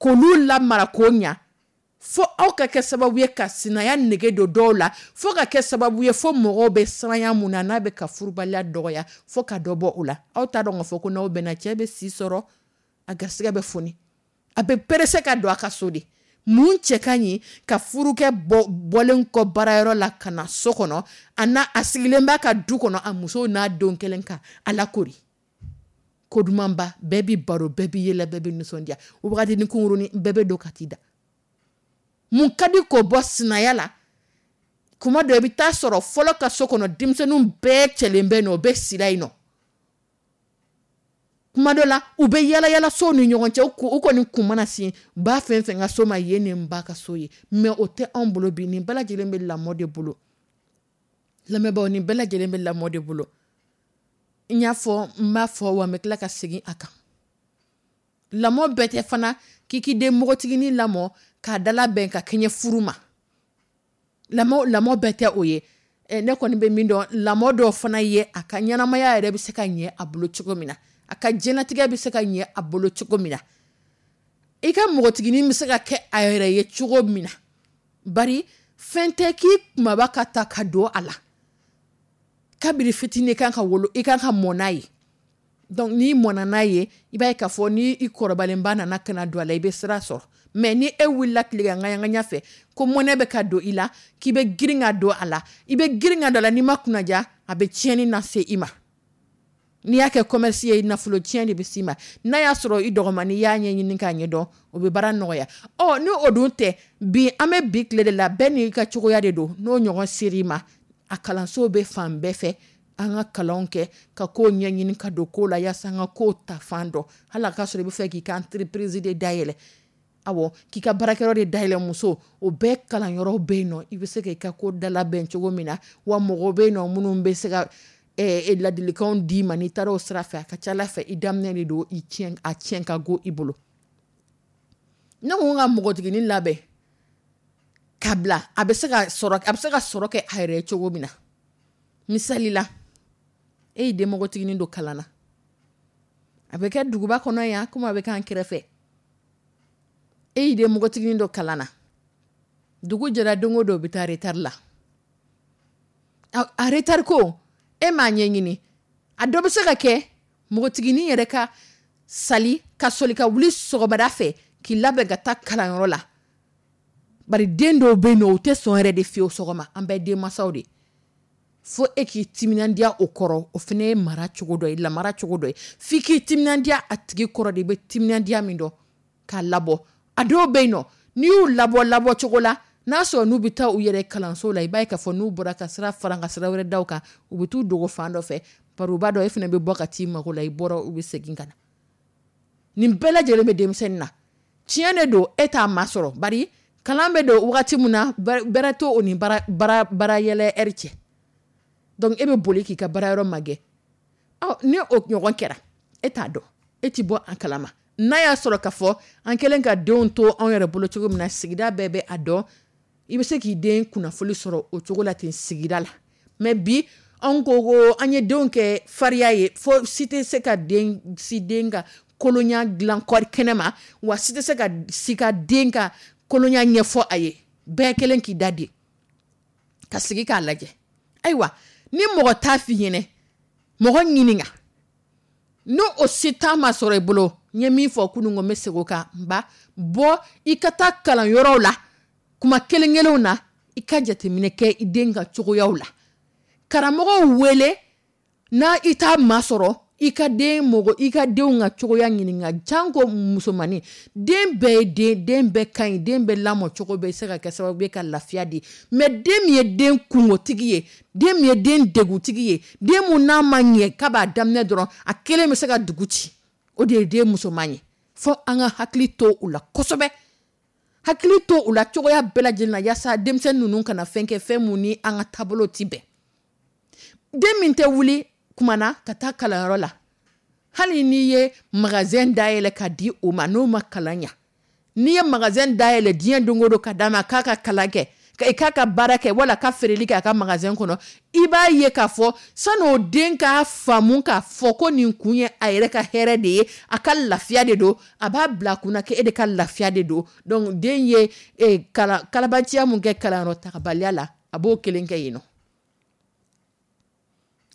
k'olu lamara k'o ɲa, fo aw ka kɛ sababu ye ka sinaya nege don dɔw la, fo ka kɛ sababu ye fo mɔgɔw bɛ siranya mun na, n'a bɛ ka furubaliya dɔgɔya, fo ka dɔ bɔ o la. Aw t'a dɔn k'a fɔ ko n'aw bɛnna, cɛ bɛ si sɔrɔ, a garisɛgɛ bɛ foni, a bɛ pressé ka don a ka so de. Mun cɛ ka ɲi ka furukɛ bɔ bɔlen kɔ baarayɔrɔ la ka na so kɔnɔ, a n'a a sigilen b'a ka du kɔnɔ, a musow n'a denw kelen ka a lakori ko dumanba, bɛɛ bi baro, bɛɛ bi yɛlɛ, bɛɛ bi nisɔndiya, wagati ni kunkurunin bɛɛ bɛ don ka t'i da. Mun ka di k'o bɔ sinaya la? Kuma dɔ i bɛ taa sɔrɔ fɔlɔ ka so kɔnɔ, denmisɛnninw bɛɛ cɛlen bɛ yen nɔ, u bɛ sira yen nɔ. Kuma dɔ la u bɛ yala yala sow ni ɲɔgɔn cɛ, u kɔni kun mana sin ba fɛn fɛn ka so ma yen, nin ba ka so ye. Mais o tɛ anw bolo bi. Nin bɛɛ lajɛlen bɛ lamɔ de bolo. Lamɛnbaaw, nin bɛɛ lajɛlen bɛ lamɔ de bolo. N y'a fɔ, n b'a fɔ wa, n bɛ tila ka segin a kan. Lamɔ bɛɛ tɛ fana k'i k'i den npogotiginin lamɔ k'a dala bɛn ka kɛɲɛ furu ma. Lamɔ lamɔ bɛɛ tɛ o ye. Ne kɔni bɛ min dɔn, lamɔ dɔw fana ye a ka ɲɛnamaya yɛrɛ bɛ se ka ɲɛ a bolo cogo min na, a ka diɲɛlatigɛ bɛ se ka ɲɛ a bolo cogo min na, i ka npogotiginin bɛ se ka kɛ a yɛrɛ ye cogo min na. Bari fɛn tɛ k'i kumaba ka ta ka don a la. Kabini fitinin i kan ka wolo, i kan ka mɔ n'a ye. Donc n'i mɔnna n'a ye, i b'a ye k'a fɔ ni i kɔrɔbalenba nana ka na don a la, i bɛ sira sɔrɔ. Mais ni e wulila tilegan ŋaɲa fɛ ko mɔnɛ bɛ ka don i la, k'i bɛ girin ka don a la, i bɛ girin ka don a la, n'i ma kunnaja, a bɛ tiɲɛni lase i ma. N'i y'a kɛ commerce ye, nafolo tiɲɛ de bɛ s'i ma. N'a y'a sɔrɔ i dɔgɔmani y'a ɲɛɲini k'a ɲɛdɔn, o bɛ baara nɔgɔya. Ɔ, ni o dun tɛ, bi an bɛ bi tile de la, bɛɛ n'i ka cogoya de don. N'o ɲɔgɔn ser'i ma, a kalanso bɛ fan bɛɛ fɛ. An ka kalanw kɛ ka kow ɲɛɲini ka don ko la, yaasa an ka kow ta fan dɔn. Hali a ka sɔrɔ i bɛ fɛ k'i ka entreprise de dayɛlɛ. Awɔ, k'i ka baarakɛyɔrɔ de dayɛlɛ muso, o bɛɛ kalanyɔrɔ bɛ yen nɔ, i bɛ se k'i ka ko dalabɛn cogo min na. Wa mɔgɔw bɛ yen nɔ minnu bɛ se ka ladilikanw d'i ma n'i taara o sira fɛ, a ka ca Ala fɛ i daminɛ de don, i tiɲɛ a tiɲɛ ka go i bolo. Ne ko n ka npogotiginin labɛn ka bila, a bɛ se ka sɔrɔ, a bɛ se ka sɔrɔ kɛ a yɛrɛ ye cogo min na. Misali la, e y'i den npogotiginin don kalan na, a bɛ kɛ duguba kɔnɔ yan komi a bɛ k'an kɛrɛfɛ. E y'i den npogotiginin don kalan na, dugu jɛra don o don, u bɛ taa retard la. A retard ko e m'a ɲɛɲini. A dɔ bɛ se ka kɛ npogotiginin yɛrɛ ka sali ka sɔli ka wuli sɔgɔmada fɛ k'i labɛn ka taa kalanyɔrɔ la. Bari den dɔw bɛ yen nɔ, u tɛ sɔn yɛrɛ de fiyewu sɔgɔma. An bɛɛ denmansaw de, fo e k'i timinandiya o kɔrɔ. O fana ye mara cogo dɔ ye, lamara cogo dɔ ye. F'i k'i timinandiya a tigi kɔrɔ de, i bɛ timinandiya min dɔn k'a labɔ. A dɔw bɛ yen nɔ, n'i y'u labɔ labɔ cogo la, n'a sɔrɔ n'u bɛ taa u yɛrɛ kalanso la, i b'a ye k'a fɔ n'u bɔra ka sira fara ka sira wɛrɛ da u kan, u bɛ t'u dogo fan dɔ fɛ. Bari u b'a dɔn e fana bɛ bɔ ka t'i mago la, i bɔra, u bɛ segin ka na. Nin bɛɛ lajɛlen bɛ denmisɛnnin na. Tiɲɛ de don, e t'a masɔrɔ, bari kalan bɛ don wagati min na, bɛrɛ t'o ni baara baara baara yɛlɛ ɛri cɛ. Donc e bɛ boli k'i ka baara yɔrɔ magɛn. Ɔ, ni o ɲɔgɔn kɛra, e t'a dɔn, e ti bɔ a kalama. N'a y'a sɔrɔ k'a fɔ an kɛlen ka denw to anw yɛrɛ bolo cogo min na, sigida bɛɛ bɛ a dɔn, i bɛ se k'i den kunnafoni sɔrɔ o cogo la ten sigida la. Mais bi, anw ko ko an ye denw kɛ fariya ye, fo si tɛ se ka den si den ka kolonya dilan kɔri kɛnɛ ma, wa si tɛ se ka si ka den ka kolonya ɲɛfɔ a ye. Bɛɛ kelen k'i da de ka sigi k'a lajɛ. Ayiwa, ni mɔgɔ t'a f'i ɲɛnɛ, mɔgɔ ɲininka. N'o o si t'a ma sɔrɔ i bolo, n ye min fɔ kunun ko n bɛ segin o kan. N ba bɔ, i ka taa kalanyɔrɔw la kuma kelen kelenw na, i ka jateminɛ kɛ i den ka cogoyaw la. Karamɔgɔw wele n'a i t'a masɔrɔ, i ka den mɔgɔ, i ka denw ka cogoya ɲininka. Janko musomannin, den bɛɛ ye den, den bɛɛ ka ɲi, den bɛɛ lamɔ cogo bɛ se ka kɛ sababu ye ka lafiya di. Mais den min ye den kungotigi ye, den min ye den degutigi ye, den mun n'a ma ɲɛ k'a b'a daminɛ dɔrɔn, a kelen bɛ se ka dugu ci, o de ye den musoman ye. Fo an ka hakili to u la kosɛbɛ, hakili to u la cogoya bɛɛ lajɛlen na, yaasa denmisɛnnin ninnu kana fɛn kɛ, fɛn mun ni an ka taabolo ti bɛn. Den min tɛ wuli kuma na ka taa kalanyɔrɔ la, hali n'i ye magasin dayɛlɛ ka di o ma, n'o ma kalan ɲa, n'i ye magasin dayɛlɛ diɲɛ don o don ka d'a ma k'a ka kalan kɛ, k'a ka baara kɛ, wala ka feereli kɛ a ka magasin kɔnɔ, i b'a ye k'a fɔ san'o den k'a faamu k'a fɔ ko nin kun ye a yɛrɛ ka hɛrɛ de ye, a ka lafiya de don, a b'a bila a kunna k'e de ka lafiya de don. Donc den ye kalabanciya mun kɛ kalanyɔrɔ tagabaliya la, a b'o kelen kɛ yen nɔ,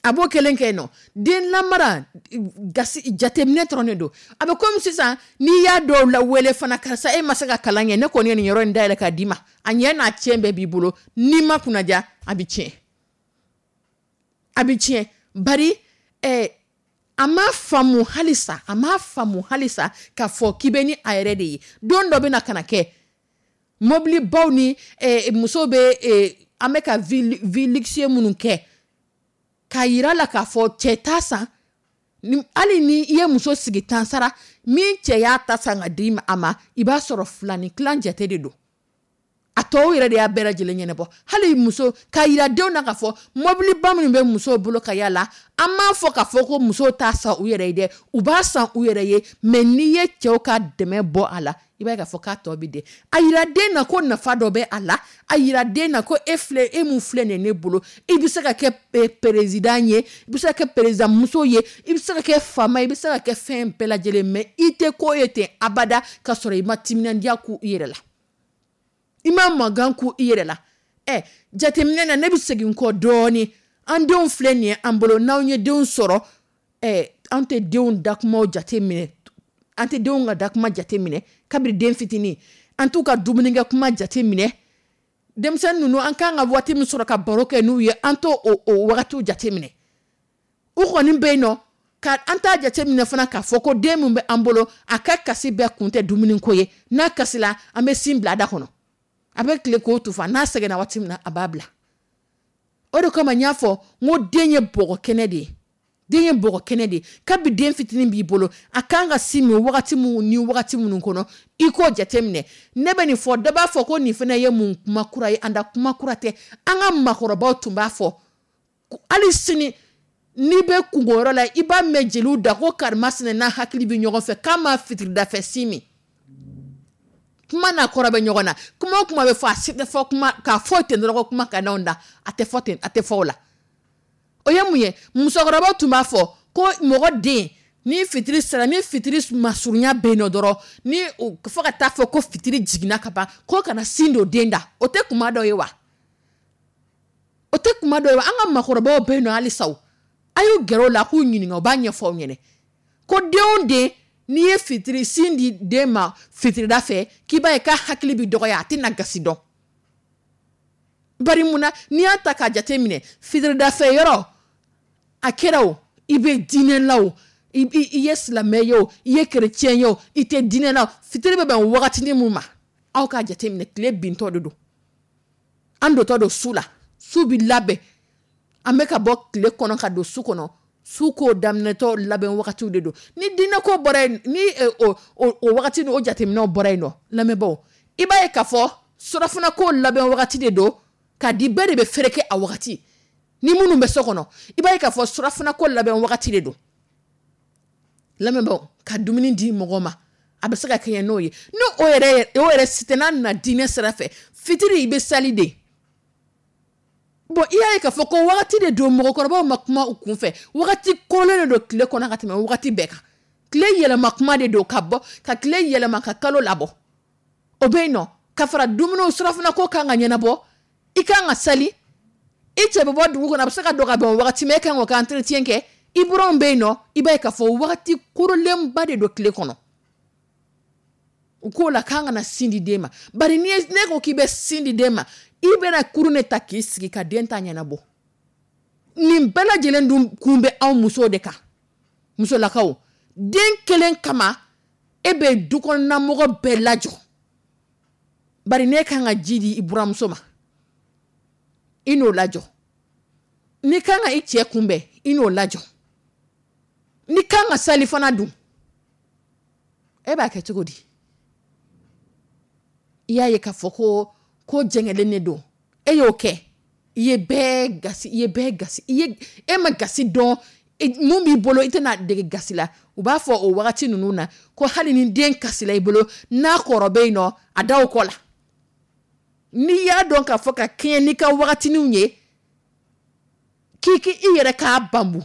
a b'o kelen kɛ yen nɔ. Den lamara gasi jateminɛ dɔrɔn de don. A bɛ komi sisan n'i y'a dɔw la wele fana, karisa, e ma se ka kalan kɛ, ne kɔni ye nin yɔrɔ in dayɛlɛ k'a d'i ma, a ɲɛ n'a tiɲɛ bɛɛ b'i bolo. N'i ma kunnaja, a bɛ tiɲɛ, a bɛ tiɲɛ. Bari ɛɛ a ma faamu halisa, a ma faamu halisa k'a fɔ k'i bɛ ni a yɛrɛ de ye. Don dɔ bɛ na ka na kɛ mobilibaw ni ɛɛ musow bɛ ɛɛ an bɛ ka vie vie luxueux minnu kɛ, k'a yira la k'a fɔ cɛ t'a san. Hali ni i ye muso sigi tan sara min, cɛ y'a ta san ka di a ma, i b'a sɔrɔ fila ni tilan jate de don. A tɔw yɛrɛ de y'a bɛɛ lajɛlen ɲɛnabɔ. Hali muso k'a yira denw na k'a fɔ mobiliba minnu bɛ musow bolo ka yala, an m'a fɔ k'a fɔ ko musow t'a san u yɛrɛ ye dɛ, u b'a san u yɛrɛ ye. Mais n'i ye cɛw ka dɛmɛ bɔ a la, i b'a ye k'a fɔ k'a tɔ bɛ den. A yira den na ko nafa dɔ bɛ a la. A yira den na ko e filɛ, e mun filɛ nin ye ne bolo, i bɛ se ka kɛ président ye, i bɛ se ka kɛ président muso ye, i bɛ se ka kɛ faama ye, i bɛ se ka kɛ fɛn bɛɛ lajɛlen. Mais i tɛ ko ye ten abada ka sɔrɔ i ma timinandiya k'u i yɛrɛ la, i ma mankan k'u i yɛrɛ la. Ɛ, jateminɛ na, ne bɛ segin kɔ dɔɔnin. An denw filɛ nin ye an bolo, n'anw ye denw sɔrɔ, ɛ, an tɛ denw dakumaw jate minɛ, an tɛ denw ka dakuma jate minɛ kabini den fitinin, an t'u ka dumunikɛ kuma jate minɛ. Denmisɛnnin ninnu, an kan ka waati min sɔrɔ ka baro kɛ n'u ye, an t'o o o wagatiw jate minɛ. U kɔni bɛ yen nɔ ka an t'a jate minɛ fana k'a fɔ ko den min bɛ an bolo, a ka kasi bɛɛ kun tɛ dumuniko ye. N'a kasila, an bɛ sin bila a da kɔnɔ, a bɛ tile k'o tufa. N'a sɛgɛnna waati min na, a b'a bila. O de kama n y'a fɔ n ko den ye bɔgɔ kɛnɛ de ye. Den ye bɔgɔ kɛnɛ de ye. Kabi den fitinin b'i bolo, a kan ka sin min wagati minnu ni wagati minnu kɔnɔ, i k'o jateminɛ. Ne bɛ nin fɔ, dɔ b'a fɔ ko nin fana ye mun kuma kura ye? An da kuma kura tɛ, an ka maakɔrɔbaw tun b'a fɔ. Hali sini n'i bɛ kungoyɔrɔ la, i b'a mɛn jeliw da ko karimasina n'a hakili bɛ ɲɔgɔn fɛ k'a ma fitiridafɛ sin min. Kuma n'a kɔrɔ bɛ ɲɔgɔn na. Kuma o kuma bɛ fɔ, a si tɛ fɔ kuma k'a fɔ ten dɔrɔn ko kuma ka d'anw da, a tɛ fɔ ten, a tɛ fɔ o la. O ye mun ye? Musokɔrɔbaw tun b'a fɔ ko mɔgɔ den, ni fitiri sera, ni fitiri masurunya bɛ yen nɔ dɔrɔn, ni fo ka taa fɔ ko fitiri jiginna ka ban, ko kana sin don den da. O tɛ kuma dɔ ye wa? O tɛ kuma dɔ ye wa? An ka maakɔrɔbaw bɛ yen nɔ halisa, o a y'u gɛrɛ o la k'u ɲininka, u b'a ɲɛfɔ aw ɲɛna ko den o den, n'i ye fitiri sin di den ma fitirida fɛ, k'i b'a ye k'a hakili bɛ dɔgɔya, a tɛna gasi dɔn. Bari mun na? N'i y'a ta k'a jate minɛ, fitiridafɛ yɔrɔ a kɛra o, i bɛ diinɛ la o, i ye silamɛ ye o, i ye kerecɛn ye o, i tɛ diinɛ la o, fitiri bɛ bɛn wagatinin mun ma, aw k'a jate minɛ, tile bintɔ de don, an dontɔ don su la, su bɛ labɛn, an bɛ ka bɔ tile kɔnɔ ka don su kɔnɔ, su ko daminɛtɔ labɛn wagatiw de don. Ni diinɛ ko bɔra yen, ni o o wagati o jateminɛw bɔra yen nɔ, lamɛnbaaw, i b'a ye k'a fɔ surafana ko labɛn wagati de don ka di bɛɛ de bɛ fereke a wagati. Ni minnu bɛ so kɔnɔ, i b'a ye k'a fɔ surafana ko labɛn wagati de don. Lamɛnbaaw, ka dumuni di mɔgɔ ma, a bɛ se ka kɛɲɛ n'o ye. Ni o yɛrɛ o yɛrɛ si tɛ, n'a nana diinɛ sira fɛ, fitiri i bɛ sali de. Bon, i y'a ye k'a fɔ ko wagati de don, mɔgɔkɔrɔbaw ma kuma u kunfɛ, wagati korolen de don tile kɔnɔ ka tɛmɛ wagati bɛɛ kan. Tile yɛlɛma kuma de don, ka bɔ ka tile yɛlɛma ka kalo labɔ, o bɛ yen nɔ. Ka fara dumuniw, surafana ko kan ka ɲɛnabɔ, i kan ka sali, i cɛ bɛ bɔ dugu kɔnɔ, a bɛ se ka don ka bɛn wagati min, e kan k'o ka entretien kɛ, i buranw bɛ yen nɔ. I b'a ye k'a fɔ wagati korolenba de don tile kɔnɔ. U k'o la k'an kana sin di den ma. Bari ni ne ko k'i bɛ sin di den ma, i bɛna kurun de ta k'i sigi ka den ta ɲɛnabɔ. Nin bɛɛ lajɛlen dun kun bɛ anw musow de kan. Musolakaw, den kelen kama e bɛ dukɔnɔmɔgɔ bɛɛ lajɔ. Bari ne kan ka ji di i buramuso ma, i n'o lajɔ. N'i kan ka i cɛ kunbɛn, i n'o lajɔ. N'i kan ka salifana dun, e b'a kɛ cogo di? I y'a ye k'a fɔ ko ko jɛngɛlen de don. E y'o kɛ, i ye bɛɛ gasi, i ye bɛɛ gasi, i ye e ma gasi dɔn mun b'i bolo, i tɛna dege gasi la. U b'a fɔ o wagati ninnu na ko hali ni den kasila i bolo, n'a kɔrɔ bɛ yen nɔ, a da o kɔ la. N'i y'a dɔn k'a fɔ ka kɛɲɛ n'i ka wagatininw ye, k'i k'i i yɛrɛ k'a banbu,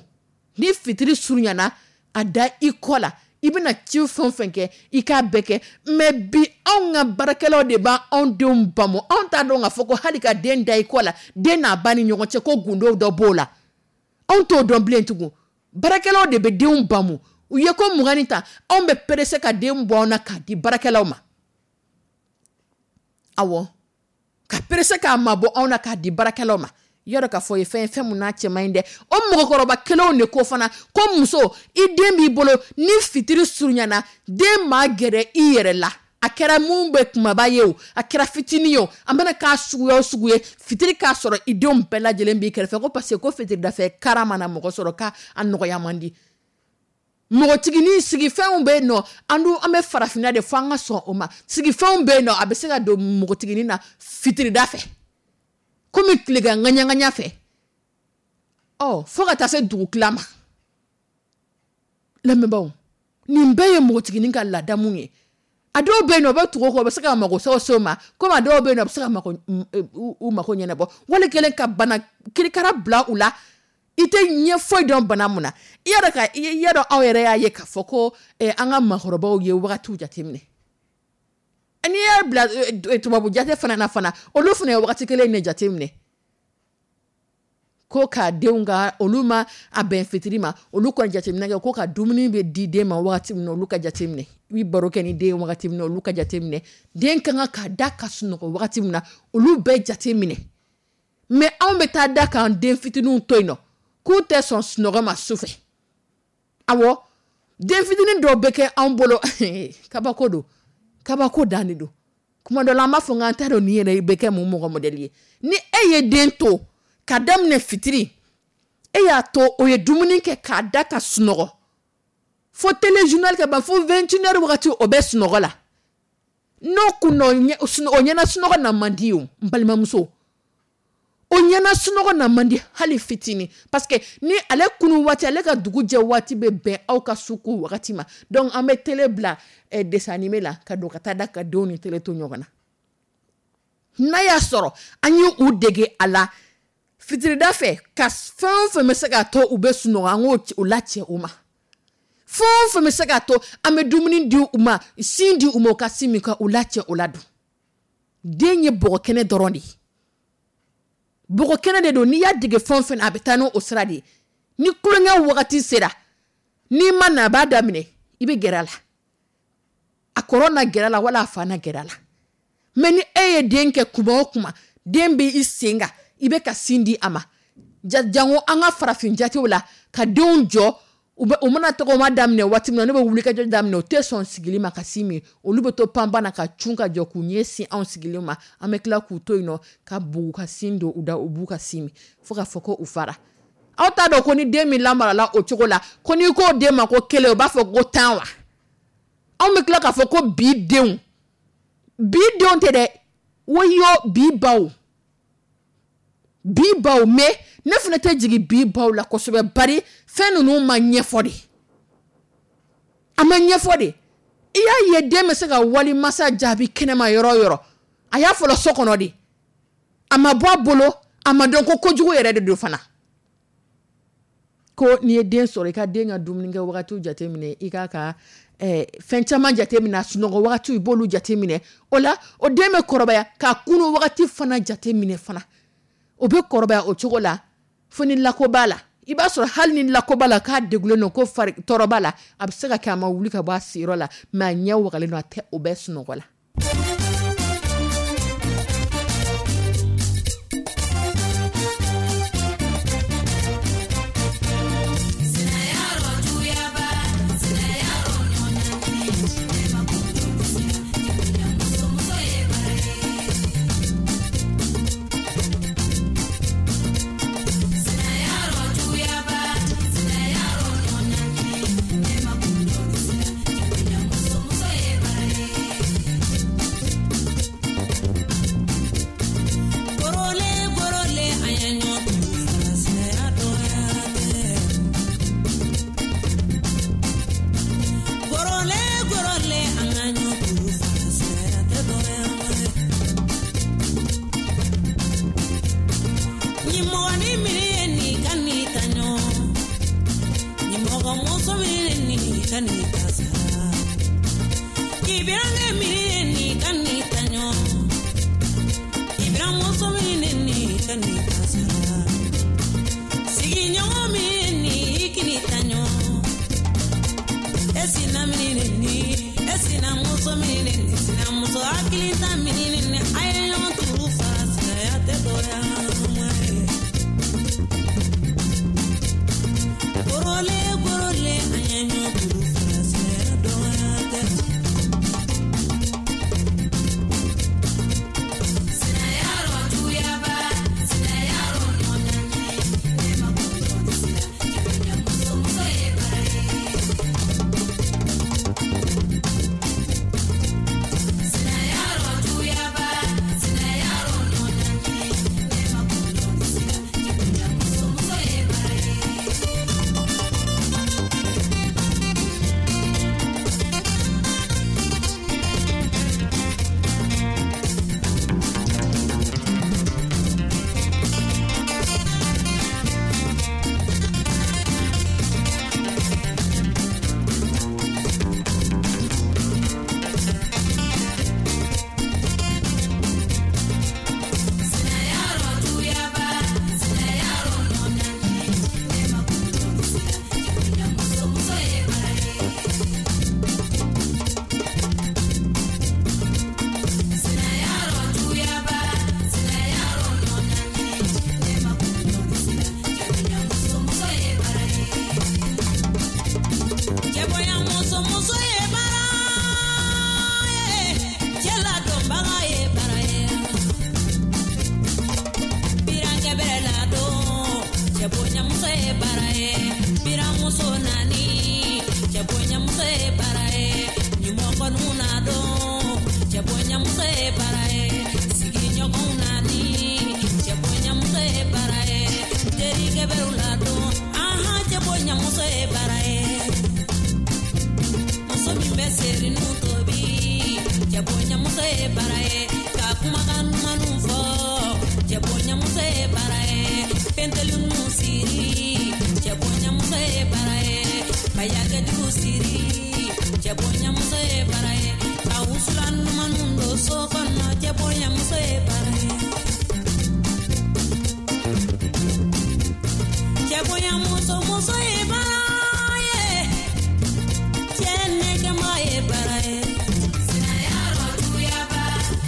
ni fitiri surunyana, a da i kɔ la, i bɛna ci fɛn o fɛn kɛ, i k'a bɛɛ kɛ. Mɛ bi anw ka baarakɛlaw de b'anw denw bamu. Anw t'a dɔn k'a fɔ ko hali ka den da i kɔ la, den n'a ba ni ɲɔgɔn cɛ, ko gundo dɔ b'o la, anw t'o dɔn bilen tugun. Baarakɛlaw de bɛ denw bamu. U ye ko mugan ni ta, anw bɛ perese ka den bɔ anw na k'a di baarakɛlaw ma. Awɔ, ka perese k'a mabɔ anw na k'a di baarakɛlaw ma. Yɔrɔ k'a fɔ ye fɛn ye, fɛn mun n'a cɛ man ɲi dɛ. O mɔgɔkɔrɔba kelenw de ko fana ko muso, i den b'i bolo, ni fitiri surunyana, den maa gɛrɛ i yɛrɛ la, a kɛra mun bɛ kumaba ye o, a kɛra fitinin ye o, a mana k'a suguya o sugu ye, fitiri k'a sɔrɔ i denw bɛɛ lajɛlen b'i kɛrɛfɛ. Ko parce que ko fitiridafɛ kara mana mɔgɔ sɔrɔ, k'a nɔgɔya man di. Mɔgɔtiginin sigifɛnw bɛ yen nɔ, an dun an bɛ farafinna de, fo an ka sɔn o ma. Sigifɛnw bɛ yen nɔ, a bɛ se ka don mɔgɔtiginin na fitirida fɛ, komi tilegan ŋaɲaŋaɲa fɛ, ɔ fo ka taa se dugutila ma. Lamɛnbaaw, nin bɛɛ ye npogotiginin ka ladamu ye. A dɔw bɛ yen nɔ, u bɛ tugu o kɔ, u bɛ se ka mago sa o ma, komi a dɔw bɛ yen nɔ, a bɛ se ka mako u mako ɲɛnabɔ, wali kelen ka bana kirikara bila u la, i tɛ ɲɛ foyi dɔn bana mun na. I y'a dɔn ka i y'a dɔn, aw yɛrɛ y'a ye k'a fɔ ko an ka maakɔrɔbaw ye wagatiw jateminɛ. N'i y'a bila tubabu jate fana na fana, olu fana ye wagati kelen de jateminɛ ko ka denw ka, olu ma a bɛn fitiri ma, olu ka jateminɛ kɛ ko ka dumuni bɛ di den ma wagati min na, olu ka jateminɛ, i bɛ baro kɛ ni den wagati min na, olu ka jateminɛ, den ka kan ka da ka sunɔgɔ wagati min na, olu bɛɛ jateminɛ. Mɛ anw bɛ taa da k'an den fitininw to yen nɔ k'u tɛ sɔn sunɔgɔ ma su fɛ. Awɔ, den fitinin dɔw bɛ kɛ anw bolo, kabako don, kabako dan de don. Kuma dɔ la an b'a fɔ k'an t'a dɔn nin yɛrɛ bɛ kɛ mun mɔgɔ mɔdɛli ye. Ni e ye den to ka daminɛ fitiri, e E y'a to o ye dumuni kɛ k'a da ka sunɔgɔ fo téléjournal ka ban, fo vingt et une heures wagati, o bɛ sunɔgɔ la. N'o kun o ɲɛna sunɔgɔ na man di o. N balimamuso, o ɲɛna sunɔgɔ na man di hali fitinin, parce que ni ale kunu waati, ale ka dugu jɛ waati bɛ bɛn aw ka su ko wagati ma. Donc an bɛ télé bila eh, dessin animé la ka don ka taa da ka denw ni télé to ɲɔgɔn na. N'a y'a sɔrɔ an ye u dege a la fitirida fɛ, ka fɛn o fɛn bɛ se k'a to u bɛ sunɔgɔ, an k'o o lacɛ u ma. Fɛn o fɛn bɛ se k'a to an bɛ dumuni di u ma, sin di u ma, u ka sin min, ka u lacɛ o la dun. Den ye bɔgɔ kɛnɛ dɔrɔn de ye, bɔgɔ kɛnɛ de don. N'i y'a dege fɛn o fɛn na, a bɛ taa n'o sira de ye. Ni tulonkɛ wagati sera, n'i ma na, a b'a daminɛ, i bɛ gɛrɛ a la, a kɔrɔ na gɛrɛ a la, wala a fa na gɛrɛ a la. Mais ni e ye den kɛ kuma o kuma, den bɛ i sen kan, i bɛ ka sin di a ma, jango an ka farafin jatew la, ka denw jɔ, u bɛ u mana tɔgɔma daminɛ waati min na, ne bɛ wuli ka jɔ daminɛ, u tɛ sɔn sigili ma ka sin min. Olu bɛ to panpan na ka cun ka jɔ k'u ɲɛ sin anw sigilen ma. An bɛ tila k'u to yen nɔ ka bugu ka sin don u da, u b'u ka sin min fo ka fɔ ko u fara. Aw t'a dɔn ko ni den min lamarala o cogo la, ko n'i k'o den ma ko kelen, o b'a fɔ ko tan wa? Anw bɛ tila k'a fɔ ko bi denw, bi denw tɛ dɛ, woyo bi baw, bi baw. Mais ne fana tɛ jigin bi baw la kosɛbɛ, bari fɛn ninnu ma ɲɛfɔ de, a ma ɲɛfɔ de. I y'a ye, den bɛ se ka wali masa jaabi kɛnɛma yɔrɔ o yɔrɔ, a y'a fɔlɔ so kɔnɔ de, a ma bɔ a bolo, a ma dɔn ko kojugu yɛrɛ de don fana. Ko n'i ye den sɔrɔ, i ka den ka dumunikɛ wagatiw jateminɛ, i k'a ka eh, fɛn caman jateminɛ, a sunɔgɔ wagatiw, i b'olu jateminɛ. O la, o den bɛ kɔrɔbaya k'a kunu wagati fana jateminɛ fana, o bɛ kɔrɔbaya o cogo la. Fo ni lako b'a la, i b'a sɔrɔ hali ni lako b'a la, k'a degulen don, ko fari tɔɔrɔ b'a la, a bɛ se ka kɛ a ma wuli ka bɔ a siyɔrɔ la, mais a ɲɛ wagalen don, a tɛ o bɛ sunɔgɔ la. Cɛ bonyamuso ye baara ye, biramuso naani, cɛ bonyamuso ye baara ye, ɲumɔgɔninw na don, cɛ bonyamuso ye baara ye, sigiɲɔgɔnw naani, cɛ bonyamuso ye baara ye, terikɛ bɛrɛw ladon, ahan, cɛ bonyamuso ye baara ye. Muso min bɛ serinu tobi, cɛ bonyamuso ye baara ye, ka kumakan dumanw fɔ, cɛ bonyamuso ye baara ye, pentelinu siri, cɛ bonyamuso ye baara ye, bayakɛjugu siri, cɛ bonyamuso ye baara ye, ka wusulan dumanw don so kɔnɔ, cɛ bonyamuso ye baara ye. Cɛ bonyamuso, muso ye baara ye, cɛ nɛgɛma ye baara ye. Sinayaro juguyaba,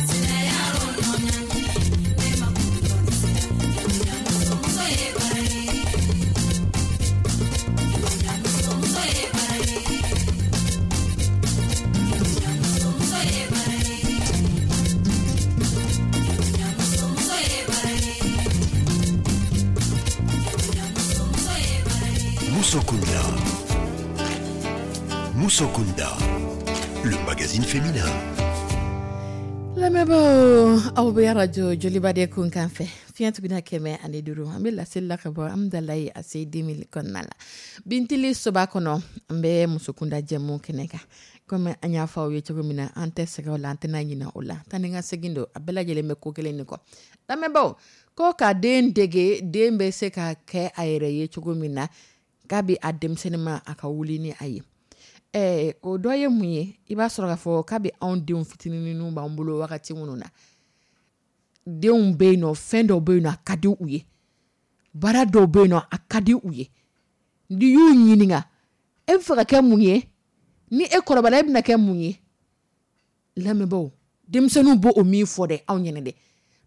sinayaro nɔɲani, ne ma kun dɔn sira, cɛ bonyamuso, muso ye baara ye. Cɛ bonyamuso, muso ye baara ye. Cɛ bonyamuso, muso ye baara ye. Cɛ bonyamuso, muso ye baara ye. Cɛ bonyamuso, muso ye baara ye. Moussokunda. Moussokunda, le magazine féminin. Lamɛnbaaw, aw bɛ arajo Joliba de kun kan fɛ, fiɲɛ tuguna kɛmɛ ani duuru. An bɛ laseli la ka bɔ Amudalayi A C deux mille kɔnɔna la, Bintili soba kɔnɔ. An bɛ musokunda jɛmu kɛnɛ kan. Komi an y'a fɔ aw ye cogo min na, an tɛ sɛgɛn o la, an tɛna ɲinɛ o la. Taa ni ka segin don, a bɛɛ lajɛlen bɛ ko kelen de kɔ. Lamɛnbaaw, ko ka den dege, den bɛ se ka kɛ a yɛrɛ ye cogo min na, k'a bɛ a denmisɛnnin ma a ka wuli ni a ye. Ɛɛ o dɔ ye mun ye? I b'a sɔrɔ k'a fɔ k'a bɛ anw denw fitininw b'an bolo wagati minnu na, denw bɛ yen nɔ, fɛn dɔw bɛ yen nɔ, a ka di u ye, baara dɔw bɛ yen nɔ, a ka di u ye. N'i y'u ɲininka, e bɛ fɛ ka kɛ mun ye? Ni e kɔrɔbayara, e bɛna kɛ mun ye? Lamɛnbaaw, denmisɛnninw b'o min fɔ dɛ anw ɲɛna dɛ,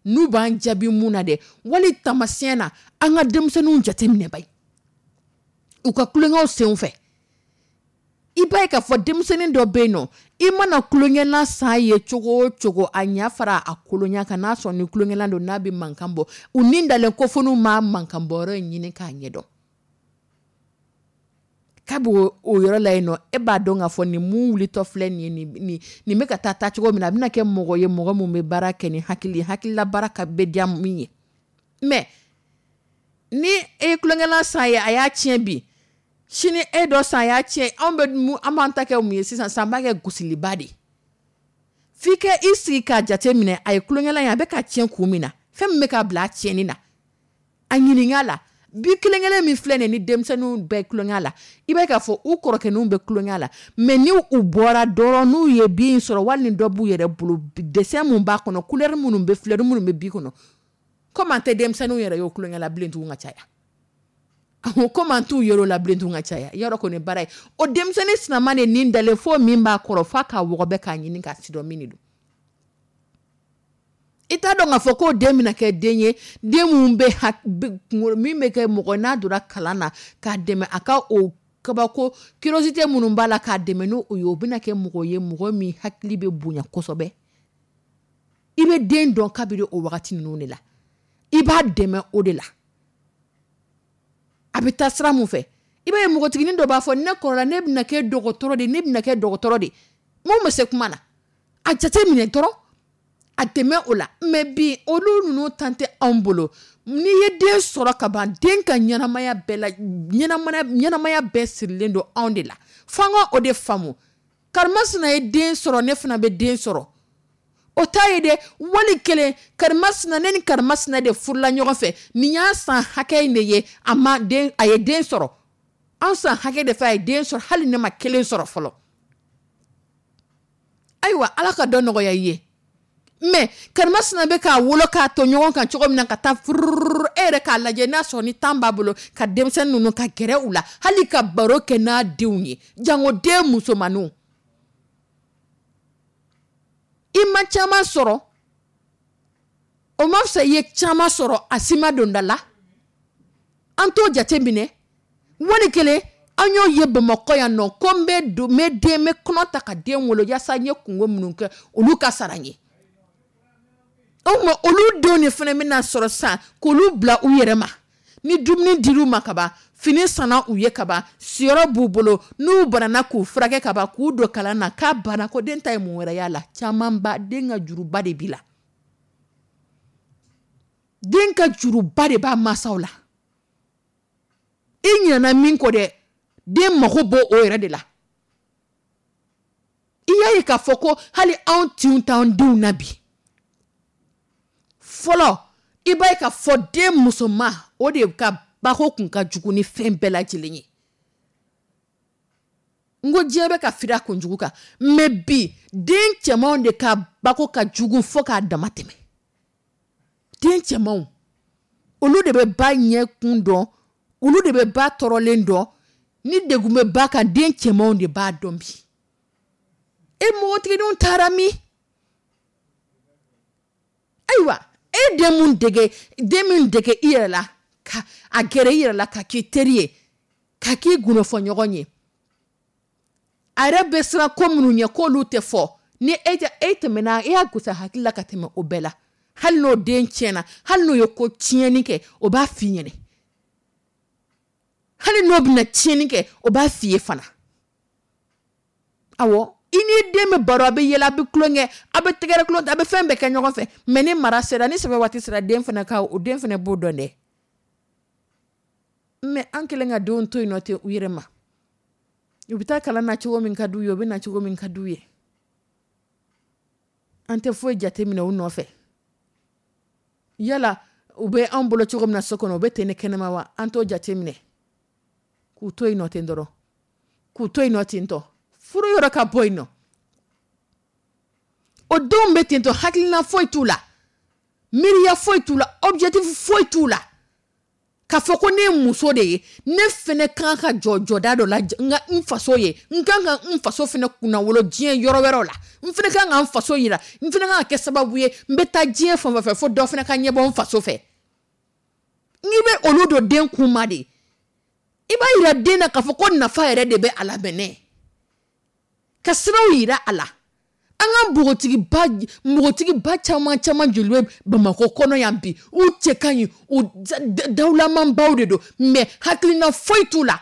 n'u b'an jaabi mun na dɛ, wali taamasiyɛn na, an ka denmisɛnninw jateminɛ ba ye u ka tulonkɛw senw fɛ. I b'a ye k'a fɔ denmisɛnnin dɔ bɛ yen nɔ, i mana tulonkɛlan san ye cogo o cogo, a ɲɛ fara a kolonya kan, n'a sɔrɔ ni tulonkɛlan don, n'a bɛ mankan bɔ, u ni dalen ko fo n'u ma mankan bɔ yɔrɔ in ɲini k'a ɲɛdɔn. Kabi o yɔrɔ la yen nɔ, e b'a dɔn k'a fɔ nin mun wulitɔ filɛ nin ye, nin, nin, nin bɛ ka taa taa cogo min na, a bɛna kɛ mɔgɔ ye, mɔgɔ mun bɛ baara kɛ ni hakili ye, hakilila baara ka bɛ diya min ye. Mais ni e ye tulonkɛlan san ye, a y'a tiɲɛ bi, sini e dɔ san, a y'a tiɲɛ, anw bɛ mun, an b'an ta kɛ mun ye sisan? San b'a kɛ gosiliba de ye. F'i ka i sigi k'a jate minɛ, a ye tulonkɛlan ye, a bɛ ka tiɲɛ kun min na, fɛn min bɛ ka bila a tiɲɛni na, a ɲininka la. Bi kelen kelen min filɛ nin ye, ni denmisɛnninw bɛ tulonkɛ la, i b'a ye k'a fɔ u kɔrɔkɛninw bɛ tulonkɛ la, mais ni u bɔra dɔrɔn, n'u ye bin sɔrɔ, wali ni dɔ b'u yɛrɛ bolo, dessin mun b'a kɔnɔ, couleur minnu bɛ, fleur minnu bɛ bi kɔnɔ, komi an tɛ denmisɛnninw yɛrɛ ye o tulonkɛ la bilen tugun ka caya. Komi an t'u yɛrɛ la bilen tugun ka caya, yɔrɔ kɔni baara ye o denmisɛnnin sinama de nin dalen fo min b'a kɔrɔ, f'a k'a wɔgɔbɛ k'a ɲini k'a sidɔn min de don. I t'a dɔn k'a fɔ k'o den bɛna kɛ den ye, den mun bɛ ha-, bɛ kunkolo, min bɛ kɛ mɔgɔ n'a donna kalan na k'a dɛmɛ a ka o kabako curiosité minnu b'a la k'a dɛmɛ n'o ye, o bɛna kɛ mɔgɔ ye, mɔgɔ min hakili bɛ bonya kosɛbɛ. I bɛ den dɔn kabini o wagati ninnu de la, i b'a dɛmɛ o de la. A bɛ taa sira mun fɛ, i b'a ye npogotiginin dɔ b'a fɔ ne kɔrɔla, ne bɛna kɛ dɔgɔtɔrɔ de, ne bɛna kɛ dɔgɔtɔrɔ de. Mun bɛ se kuma na, a jate minɛ dɔrɔn, a dɛmɛ o la. Mais bi olu ninnu tan tɛ anw bolo. N'i ye den sɔrɔ ka ban, den ka ɲɛnamaya bɛɛ la, ɲɛnamaya, ɲɛnamaya bɛɛ sirilen don anw de la. F'an ka o de faamu. Karimasina ye den sɔrɔ, ne fana bɛ den sɔrɔ. O ta ye dɛ, wali kelen karimasina, ne ni karimasina de furula ɲɔgɔn fɛ, nin y'a san hakɛ in de ye, a ma den, a ye den sɔrɔ. An san hakɛ de fɛ a ye den sɔrɔ, hali ne ma kelen sɔrɔ fɔlɔ. Ayiwa, Ala ka dɔ nɔgɔya i ye. Mais karimasina bɛ k'a wolo k'a to ɲɔgɔn kan cogo min na ka taa furururu, e yɛrɛ k'a lajɛ n'a sɔrɔ ni tan b'a bolo ka denmisɛnnin ninnu ka gɛrɛ u la, hali ka baro kɛ n'a denw ye, jango den musomanninw. I ma caman sɔrɔ, o ma fisa i ye caman sɔrɔ a si ma don da la. An t'o jate minɛ. Wali kelen an y'o ye Bamakɔ yan nɔ, ko n bɛ don, n bɛ den, n bɛ kɔnɔ ta ka den wolo yaasa n ye kungo minnu kɛ olu ka sara n ye. O tuma olu denw de fana bɛna sɔrɔ sisan k'olu bila u yɛrɛ ma. Ni dumuni dir'u ma kaban, fini sanna u ye kaban, siyɔrɔ b'u bolo, n'u banana k'u furakɛ kaban, k'u don kalan na, k'a banna, ko den ta ye mun wɛrɛ y'a la? Camanba den ka juruba de b'i la, den ka juruba de b'a mansaw la. I ɲinɛna min kɔ dɛ, den mago b'o o yɛrɛ de la. I y'a ye k'a fɔ ko hali anw tinw t'an denw na bi. Fɔlɔ i b'a ye k'a fɔ den musoman, o de ka bako kun ka jugu ni fɛn bɛɛ lajɛlen ye. N ko diɲɛ bɛ ka firi a kunjugu kan, mais bi den cɛmanw de ka bako ka jugu fo k'a dama tɛmɛ. Den cɛmanw, olu de bɛ ba ɲɛ kun dɔn, olu de bɛ ba tɔɔrɔlen dɔn. Ni degun bɛ ba kan, den cɛmanw de b'a dɔn bi. E npogotigininw taara min? Ayiwa, e den mun dege, den min dege i yɛrɛ la, ka a gɛrɛ i yɛrɛ la, ka k'i teri ye, ka k'i gundofɔɲɔgɔn ye, a yɛrɛ bɛ siran ko minnu ɲɛ k'olu tɛ fɔ, ni e tɛ, e tɛmɛna, e y'a gosi a hakili la ka tɛmɛ o bɛɛ la. Hali n'o den tiɲɛna, hali n'o ye ko tiɲɛni kɛ, o b'a f'i ɲɛnɛ. Hali n'o bɛna tiɲɛni kɛ, o b'a f'i ye fana. Awɔ, i n'i den bɛ baro, a bɛ yɛlɛ, a bɛ tulonkɛ, a bɛ tɛgɛrɛ tulon, a bɛ fɛn bɛɛ kɛ ɲɔgɔn fɛ. Mais ni mara sera, ni sɛbɛ waati sera, den fana ka, o den fana b'o dɔn dɛ. Mais an kɛlen ka denw to yen nɔ ten u yɛrɛ ma. U bɛ taa kalan na cogo min ka d'u ye, u bɛ na cogo min ka d'u ye. An tɛ foyi jateminɛ u nɔfɛ. Yala u bɛ anw bolo cogo min na so kɔnɔ, u bɛ ten ne kɛnɛma wa? An t'o jateminɛ. K'u to yen nɔ ten dɔrɔn. K'u to yen nɔ ten tɔ. Furu yɔrɔ ka bɔ yen nɔ. O denw bɛ ten tɔ, hakilina foyi t'u la, miiriya foyi t'u la, objectif foyi t'u la. K'a fɔ ko ne ye muso de ye, ne fɛnɛ kan ka jɔ jɔda dɔ la n ka n faso ye, n kan ka n faso fɛnɛ kunnawolo diɲɛ yɔrɔ wɛrɛw la, n fɛnɛ kan ka n faso yira, n fɛnɛ kan ka kɛ sababu ye, n bɛ taa diɲɛ fan fɛn fɛ fo dɔ fɛnɛ ka ɲɛbɔ n faso fɛ. N'i bɛ olu don den kun ma de, i b'a yira den na k'a fɔ ko nafa yɛrɛ de bɛ a la mɛnɛ, ka siraw yira a la. An ka npogotigiba, npogotigiba caman caman joli bɛ Bamakɔ kɔnɔ yan bi, u cɛ ka ɲi, u dawulamanbaw de don, mais hakilina foyi t'u la.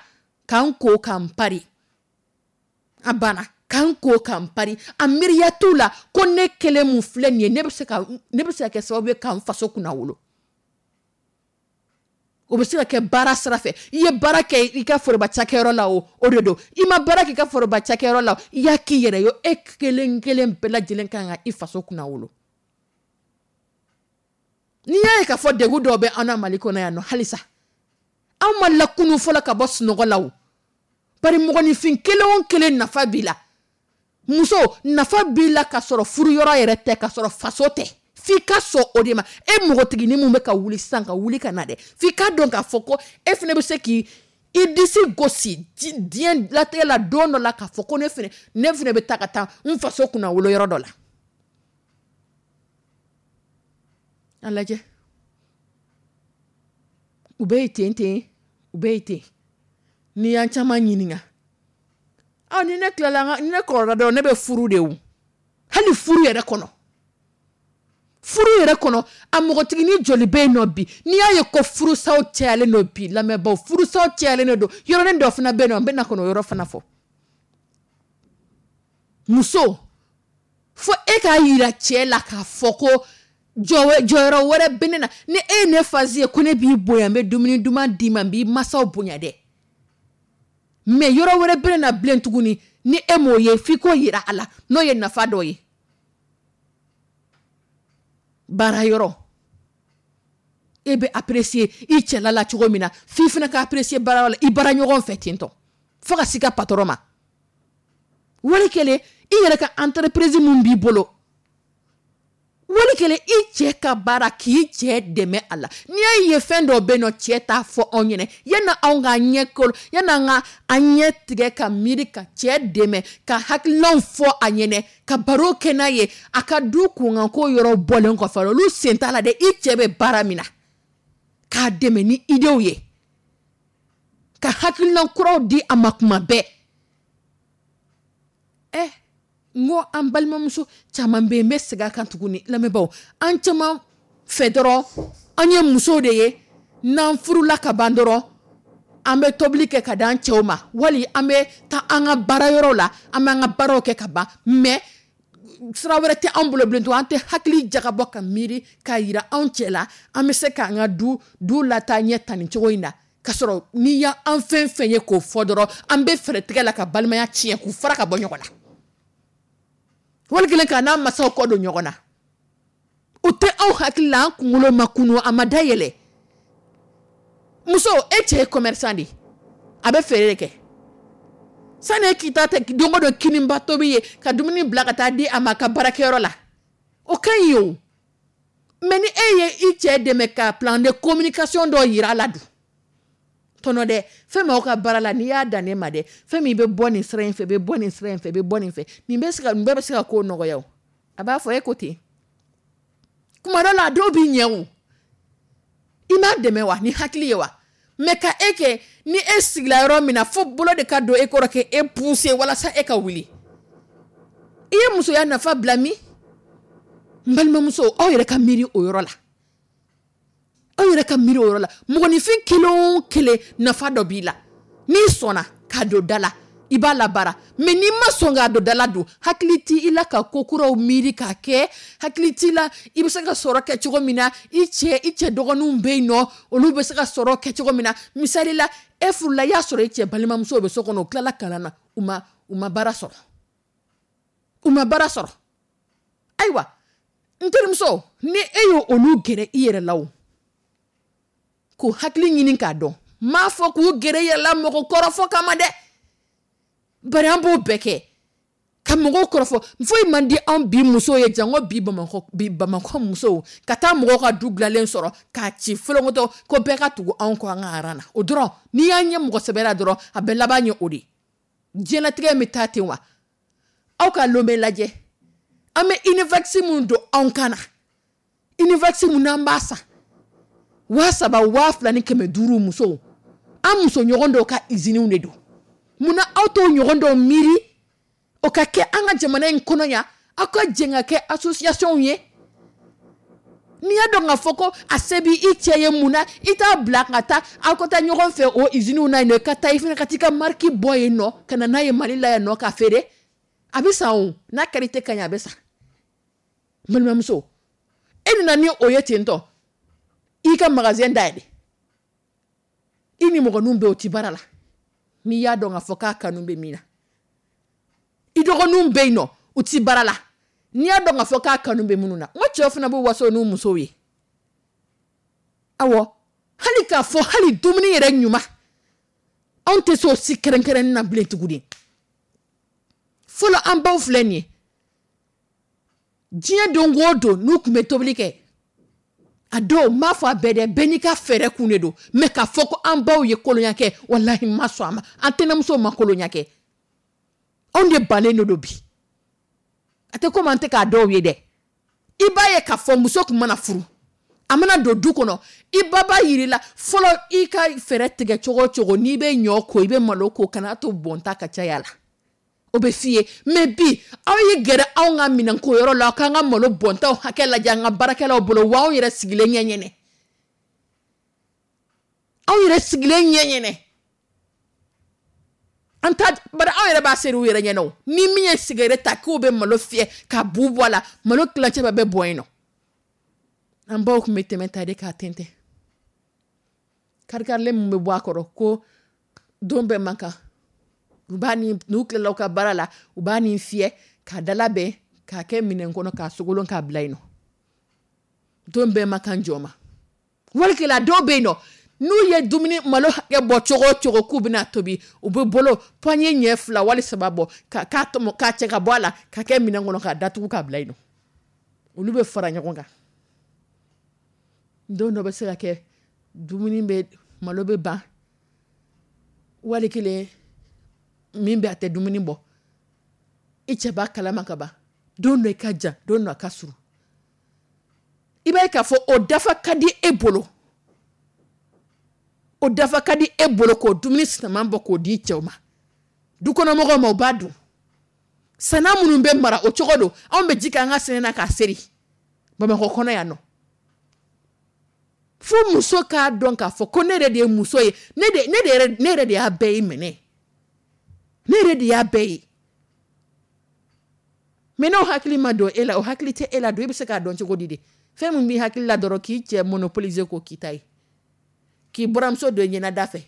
K'an ko k'an pari, a banna. K'an ko k'an pari, a miiriya t'u la ko ne kelen mun filɛ nin ye, ne bɛ se ka, ne bɛ se ka kɛ sababu ye k'an faso kunnawolo. O bɛ se ka kɛ baara sira fɛ. I ye baara kɛ i ka foroba cakɛyɔrɔ la o, o de don. I ma baara kɛ i ka foroba cakɛyɔrɔ la o, i y'a k'i yɛrɛ ye, e kelen kelen bɛɛ lajɛlen kan ka i faso kunnawolo. N'i y'a ye k'a fɔ degun dɔw bɛ an na Mali kɔnɔ yan nɔ halisa, anw ma lakunu fɔlɔ ka bɔ sunɔgɔ la o. Bari mɔgɔninfin kelen o kelen nafa b'i la. Muso nafa b'i la ka sɔrɔ furu yɔrɔ yɛrɛ tɛ, ka sɔrɔ faso tɛ. F'i ka sɔn o de ma. E npogotiginin mun bɛ ka wuli sisan ka wuli ka na dɛ, f'i ka dɔn k'a fɔ ko e fana bɛ se k'i i disi gosi diɲɛ latigɛ la don dɔ la k'a fɔ ko ne fana, ne fana bɛ taa ka taa n faso kunnawolo yɔrɔ dɔ la. A lajɛ, u bɛ yen ten ten, u bɛ yen ten. N'i y'an caman ɲininka, aw ni ne tilala, ni ne kɔrɔla dɔrɔn ne bɛ furu de o. Hali furu yɛrɛ kɔnɔ, furu yɛrɛ kɔnɔ, a mɔgɔtiginin joli bɛ yen nɔ bi, n'i y'a ye ko furusaw cayalen don bi, lamɛnbaaw, furusaw cayalen don. Yɔrɔnin dɔ fana bɛ yen nɔ, n bɛ na kɔnɔ o yɔrɔ fana fɔ. Muso, fo e k'a yira cɛ la k'a fɔ ko jɔyɔrɔ wɛrɛ bɛ ne na. Ni e ye ne fasi ye ko ne b'i bonya, n bɛ dumuni duman d'i ma, n b'i masaw bonya dɛ, mais yɔrɔ wɛrɛ bɛ ne na bilen tuguni, ni e m'o ye, f'i k'o yira a la, n'o ye nafa dɔ ye. Baara yɔrɔ, e bɛ apprécier i cɛla la cogo min na, f'i fana ka apprécier baara yɔrɔ la, i baara ɲɔgɔn fɛ ten tɔ, fo ka s'i ka patron ma. Wali kelen i yɛrɛ ka entreprise mun b'i bolo, wali kelen i cɛ ka baara, k'i cɛ dɛmɛ a la. N'i y'a ye fɛn dɔw bɛ yen nɔ, cɛ t'a fɔ anw ɲɛna, yanni anw ka ɲɛ kolo, yanni an ka an ɲɛ tigɛ ka miiri ka cɛ dɛmɛ, ka hakilinaw fɔ a ɲɛna, ka baro kɛ n'a ye, a ka du kunkanko yɔrɔ bɔlen kɔfɛ, olu sen t'a la dɛ. I cɛ bɛ baara min na, k'a dɛmɛ ni idew ye, ka hakilina kuraw di a ma kuma bɛɛ. Ɛ n ko an balimamuso caman bɛ yen, n bɛ segin a kan tuguni, lamɛnbaaw, an caman fɛ dɔrɔn an ye musow de ye, N'an furula ka ban dɔrɔn, an bɛ tobili kɛ ka d'an cɛw ma, wali an bɛ taa an ka baarayɔrɔ la, an b'an ka baaraw kɛ ka ban, mais sira wɛrɛ tɛ anw bolo bilen. To an tɛ hakili jagabɔ ka miiri k'a yira anw cɛ la, an bɛ se k'an ka du du lataa ɲɛ tan nin cogo in na. K'a sɔrɔ n'i y'an fɛn fɛn ye k'o fɔ dɔrɔn, an bɛ fɛɛrɛ tigɛ la ka balimaya tiɲɛ, k'u fara ka bɔ ɲɔgɔn na, wali kelen k'a n'a masaw kɔ don ɲɔgɔn na. O tɛ anw hakili la, an kunkolo ma kunu, a ma dayɛlɛ. Muso, e cɛ ye commerçant de ye, a bɛ feere de kɛ. Sani e k'i ta don o don kininba tobi ye ka dumuni bila ka taa di a ma a ka baarakɛyɔrɔ la, o ka ɲi o. Mais ni e ye i cɛ dɛmɛ ka plan de communication dɔ yira a la dun, tɔnɔ dɛ, fɛn min aw ka baara la, n'i y'a dan ne ma dɛ, fɛn min bɛ bɔ nin sira in fɛ, bɛ bɔ nin sira in fɛ, bɛ bɔ nin fɛ, nin bɛ se ka nin bɛɛ bɛ se ka ko nɔgɔya o. A b'a fɔ e ko ten. Kuma dɔ la, a dɔw b'i ɲɛ o, i m'a dɛmɛ wa ni hakili ye wa. Mais ka e kɛ ni e sigila yɔrɔ min na, fo bolo de ka don e kɔrɔ k'e pousser walasa e ka wuli, i ye musoya nafa bila min? N balimamuso, aw yɛrɛ ka miiri o yɔrɔ la, aw yɛrɛ ka miiri o yɔrɔ la. Mɔgɔninfin kelen o kelen, nafa dɔ b'i la. N'i sɔnna k'a don da la, i b'a labaara, mais n'i ma sɔn k'a don da la dun, hakili t'i la ka ko kuraw miiri k'a kɛ, hakili t'i la i bɛ se ka sɔrɔ kɛ cogo min na. I cɛ i cɛ dɔgɔninw bɛ yen nɔ, olu bɛ se ka sɔrɔ kɛ cogo min na. Misali la, e furula, i y'a sɔrɔ i cɛ balimamuso bɛ so kɔnɔ, u tilala kalan na, u ma u ma baara sɔrɔ, u ma baara sɔrɔ. Ayiwa, n terimuso, ni e y'o olu gɛrɛ i yɛrɛ la o, k'u hakili ɲini k'a dɔn, n m'a fɔ k'u gɛrɛ i yɛrɛ la mɔgɔ kɔrɔfɔ kama dɛ, bari an b'o bɛɛ kɛ ka mɔgɔw kɔrɔfɔ. Foyi man di anw bi musow ye jango bi Bamakɔ, bi Bamakɔ musow ka taa mɔgɔw ka du dilanlen sɔrɔ k'a ci folonkoto ko bɛɛ ka tugu anw kɔ an ka aran na. O dɔrɔn, n'i y'an ye mɔgɔ sɛbɛ la dɔrɔn, a bɛɛ laban ye o de ye. Diɲɛlatigɛ bɛ taa ten wa. Aw ka Lomé lajɛ, an bɛ Univax mun don anw kan na, Univax mun n'an b'a san waa saba, waa fila ni kɛmɛ duuru, musow, an muso ɲɔgɔn dɔw ka usines de don. Munna aw t'o ɲɔgɔn dɔw miiri o ka kɛ an ka jamana in kɔnɔ yan? Aw ka jɛn ka kɛ association ye. N'i y'a dɔn k'a fɔ ko a se b'i i cɛ ye, mun na i t'a bila ka taa, aw ka taa ɲɔgɔn fɛ o usines na yen nɔ, ka taa i fana ka t'i ka marque bɔ yen nɔ ka na n'a ye Mali la yan nɔ k'a feere? A bɛ san o, n'a qualité ka ɲi, a bɛ san. N balimamuso, e nana ni o ye ten tɔ, i ka magasin dayɛlɛ, i ni mɔgɔninw bɛ o ti baara la. N'i y'a dɔn k'a fɔ k'a kanu bɛ min na, i dɔgɔninw bɛ yen nɔ, u ti baara la. N'i y'a dɔn k'a fɔ k'a kanu bɛ minnu na, n ko cɛw fana b'u waso n'u musow ye. Awɔ, hali k'a fɔ hali dumuni yɛrɛ ɲuman, anw tɛ se o si kɛrɛnkɛrɛnnen na bilen tuguni. Fɔlɔ, an baw filɛ nin ye, diɲɛ don o don, n'u tun bɛ tobili kɛ, a dɔw, n m'a fɔ a bɛɛ dɛ, bɛɛ n'i ka fɛɛrɛ kun de don, mais k'a fɔ ko an baw ye kolonya kɛ, walahi n ma sɔn a ma. An tɛnɛmusow ma kolonya kɛ, anw de bannen de don bi. A tɛ komi an tɛ k'a dɔw ye dɛ. I b'a ye k'a fɔ muso tun mana furu, a mana don du kɔnɔ, i ba b'a yir'i la fɔlɔ, i ka fɛɛrɛ tigɛ cogo o cogo, n'i bɛ ɲɔ ko, i bɛ malo ko, kana to bɔnta ka caya la, o bɛ f'i ye. Mais bi, aw ye gɛrɛ anw ka minɛnko yɔrɔ la, k'an ka malo bɔntaw hakɛ lajɛ an ka baarakɛlaw bolo wa, anw yɛrɛ sigilen ɲɛ ɲɛnɛ, anw yɛrɛ sigilen ɲɛ ɲɛnɛ, an ta bari anw yɛrɛ b'a seri u yɛrɛ ɲɛna o. Ni min ye sigɛrɛ ta k'o bɛ malo fiyɛ ka bu bɔ a la, malo tilancɛ bɛɛ bɛ bɔn yen nɔ. An baw tun bɛ tɛmɛ ta de k'a tɛntɛn, karikarilen min bɛ bɔ a kɔrɔ ko don bɛɛ man kan, u b'a ni n'u tilala u ka baara la, u b'a nin fiyɛ k'a dalabɛn k'a kɛ minɛn kɔnɔ k'a sogolon k'a bila yen nɔ. Don bɛɛ man kan jɔ ma. Walikɛla dɔw bɛ yen nɔ, n'u ye dumuni malo hakɛ bɔ cogo o cogo k'u bɛna tobi, u bɛ bolo pɔɲɛ ɲɛ fila wali saba bɔ ka k'a tɔmɔ k'a cɛ ka bɔ a la ka kɛ minɛn kɔnɔ k'a datugu k'a bila yen nɔ. Olu bɛ fara ɲɔgɔn kan. Don dɔ bɛ se ka kɛ, dumuni bɛ, malo bɛ ban, wali kelen min bɛ a tɛ dumuni bɔ, i cɛ b'a kalama ka ban. Don dɔ i ka jan, don dɔ a ka surun, i b'a ye k'a fɔ o dafa ka di e bolo, o dafa ka di e bolo k'o dumuni sinaman bɔ k'o di cɛw ma, dukɔnɔmɔgɔw ma, u b'a dun. Sana minnu bɛ mara o cogo don, anw bɛ ji k'an ka sɛnɛ na k'a seri Bamakɔ kɔnɔ yan nɔ. Fo muso k'a dɔn k'a fɔ ko ne yɛrɛ de ye muso ye, ne de ne de yɛrɛ ne yɛrɛ de y'a bɛɛ ye minɛ, ne yɛrɛ de y'a bɛɛ ye. Mais n'o hakili ma don e la, o hakili tɛ e la don, e bɛ se k'a dɔn cogo di de? Fɛn min b'i hakili la dɔrɔn, k'i cɛ monopoliser k'o k'i ta ye, k'i buramuso don i ɲɛnada fɛ,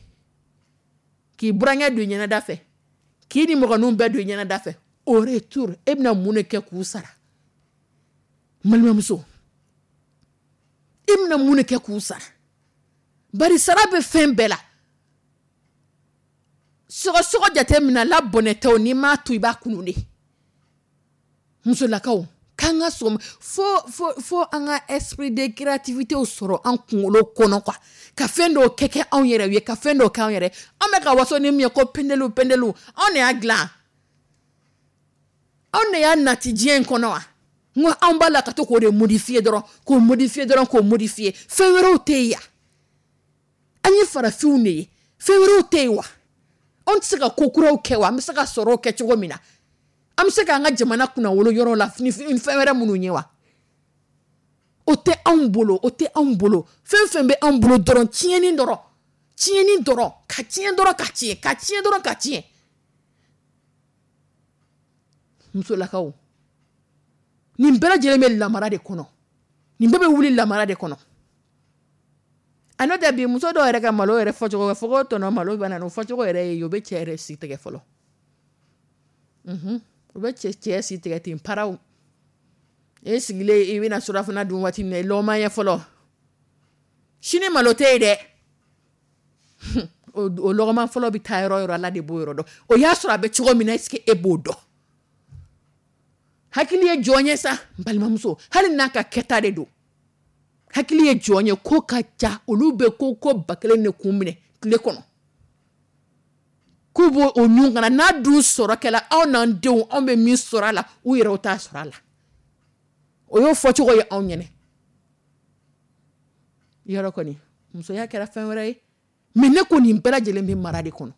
k'i burankɛ don i ɲɛnada fɛ, k'i ni mɔgɔninw bɛɛ don i ɲɛnada fɛ. Au retour, e bɛna mun de kɛ k'u sara? N balimamuso, e bɛna mun de kɛ k'u sara? Bari sara bɛ fɛn bɛɛ la. Sɔgɔsɔgɔ jate minɛ la bɔnɛ tɛ o, n'i m'a to i b'a kunu de. Musolakaw, k'an ka sɔgɔma fo fo fo an ka esprit de créativité sɔrɔ an kunkolo kɔnɔ quoi, ka fɛn dɔw kɛ kɛ anw yɛrɛ ye, ka fɛn dɔw kɛ anw yɛrɛ. An bɛ ka waso ni min ye ko pendelu pendelu, anw de y'a dilan, anw de y'a nati diɲɛ in kɔnɔ wa? N ko anw b'a la ka to k'o de modifier dɔrɔn, k'o modifier dɔrɔn, k'o modifier. Fɛn wɛrɛw tɛ yen yan, an ye farafinw de ye, fɛn wɛrɛw tɛ yen wa? Anw tɛ se ka ko kuraw kɛ wa? An bɛ se ka sɔrɔw kɛ cogo min na, an bɛ se k'an ka jamana kunnawolo yɔrɔ la ni fɛn wɛrɛ minnu ye wa? O tɛ anw bolo, o tɛ anw bolo. Fɛn fɛn bɛ anw bolo dɔrɔn, tiɲɛni dɔrɔn, tiɲɛni dɔrɔn, ka tiɲɛ dɔrɔn, ka tiɲɛ, ka tiɲɛ dɔrɔn, ka tiɲɛ. Musolakaw, nin bɛɛ lajɛlen bɛ lamara de kɔnɔ, nin bɛɛ bɛ wuli lamara de kɔnɔ. A n'o tɛ bi muso dɔw yɛrɛ ka malo yɛrɛ fɔcogo, fɔ ko tɔnɔ malo bɛ na, o fɔcogo yɛrɛ ye, o bɛ cɛ yɛrɛ si tigɛ fɔlɔ. Unhun, o bɛ cɛ cɛ si tigɛ ten paraw. E sigilen i bɛna surafana dun waati min na, i lɔgɔma ye fɔlɔ. Sini malo tɛ yen dɛ. O lɔgɔma fɔlɔ bɛ taa yɔrɔ yɔrɔ, Ala de b'o yɔrɔ dɔn. O y'a sɔrɔ a bɛ cogo min na, est-ce que e b'o dɔn? Hakili ye jɔn ye sa, n balimamuso, hali n'a ka kɛta de don. Hakili ye jɔn ye, ko ka ca, olu bɛ ko ko ba kelen de kun minɛ tile kɔnɔ. K'u b'o o ɲun kana n'a dun sɔrɔ kɛla, anw n'an denw, anw bɛ min sɔrɔ a la, u yɛrɛw t'a sɔrɔ a la. O y'o fɔcogo ye anw ɲɛnɛ. Yɔrɔ kɔni, musoya kɛra fɛn wɛrɛ ye. Mais ne ko nin bɛɛ lajɛlen bɛ mara de kɔnɔ.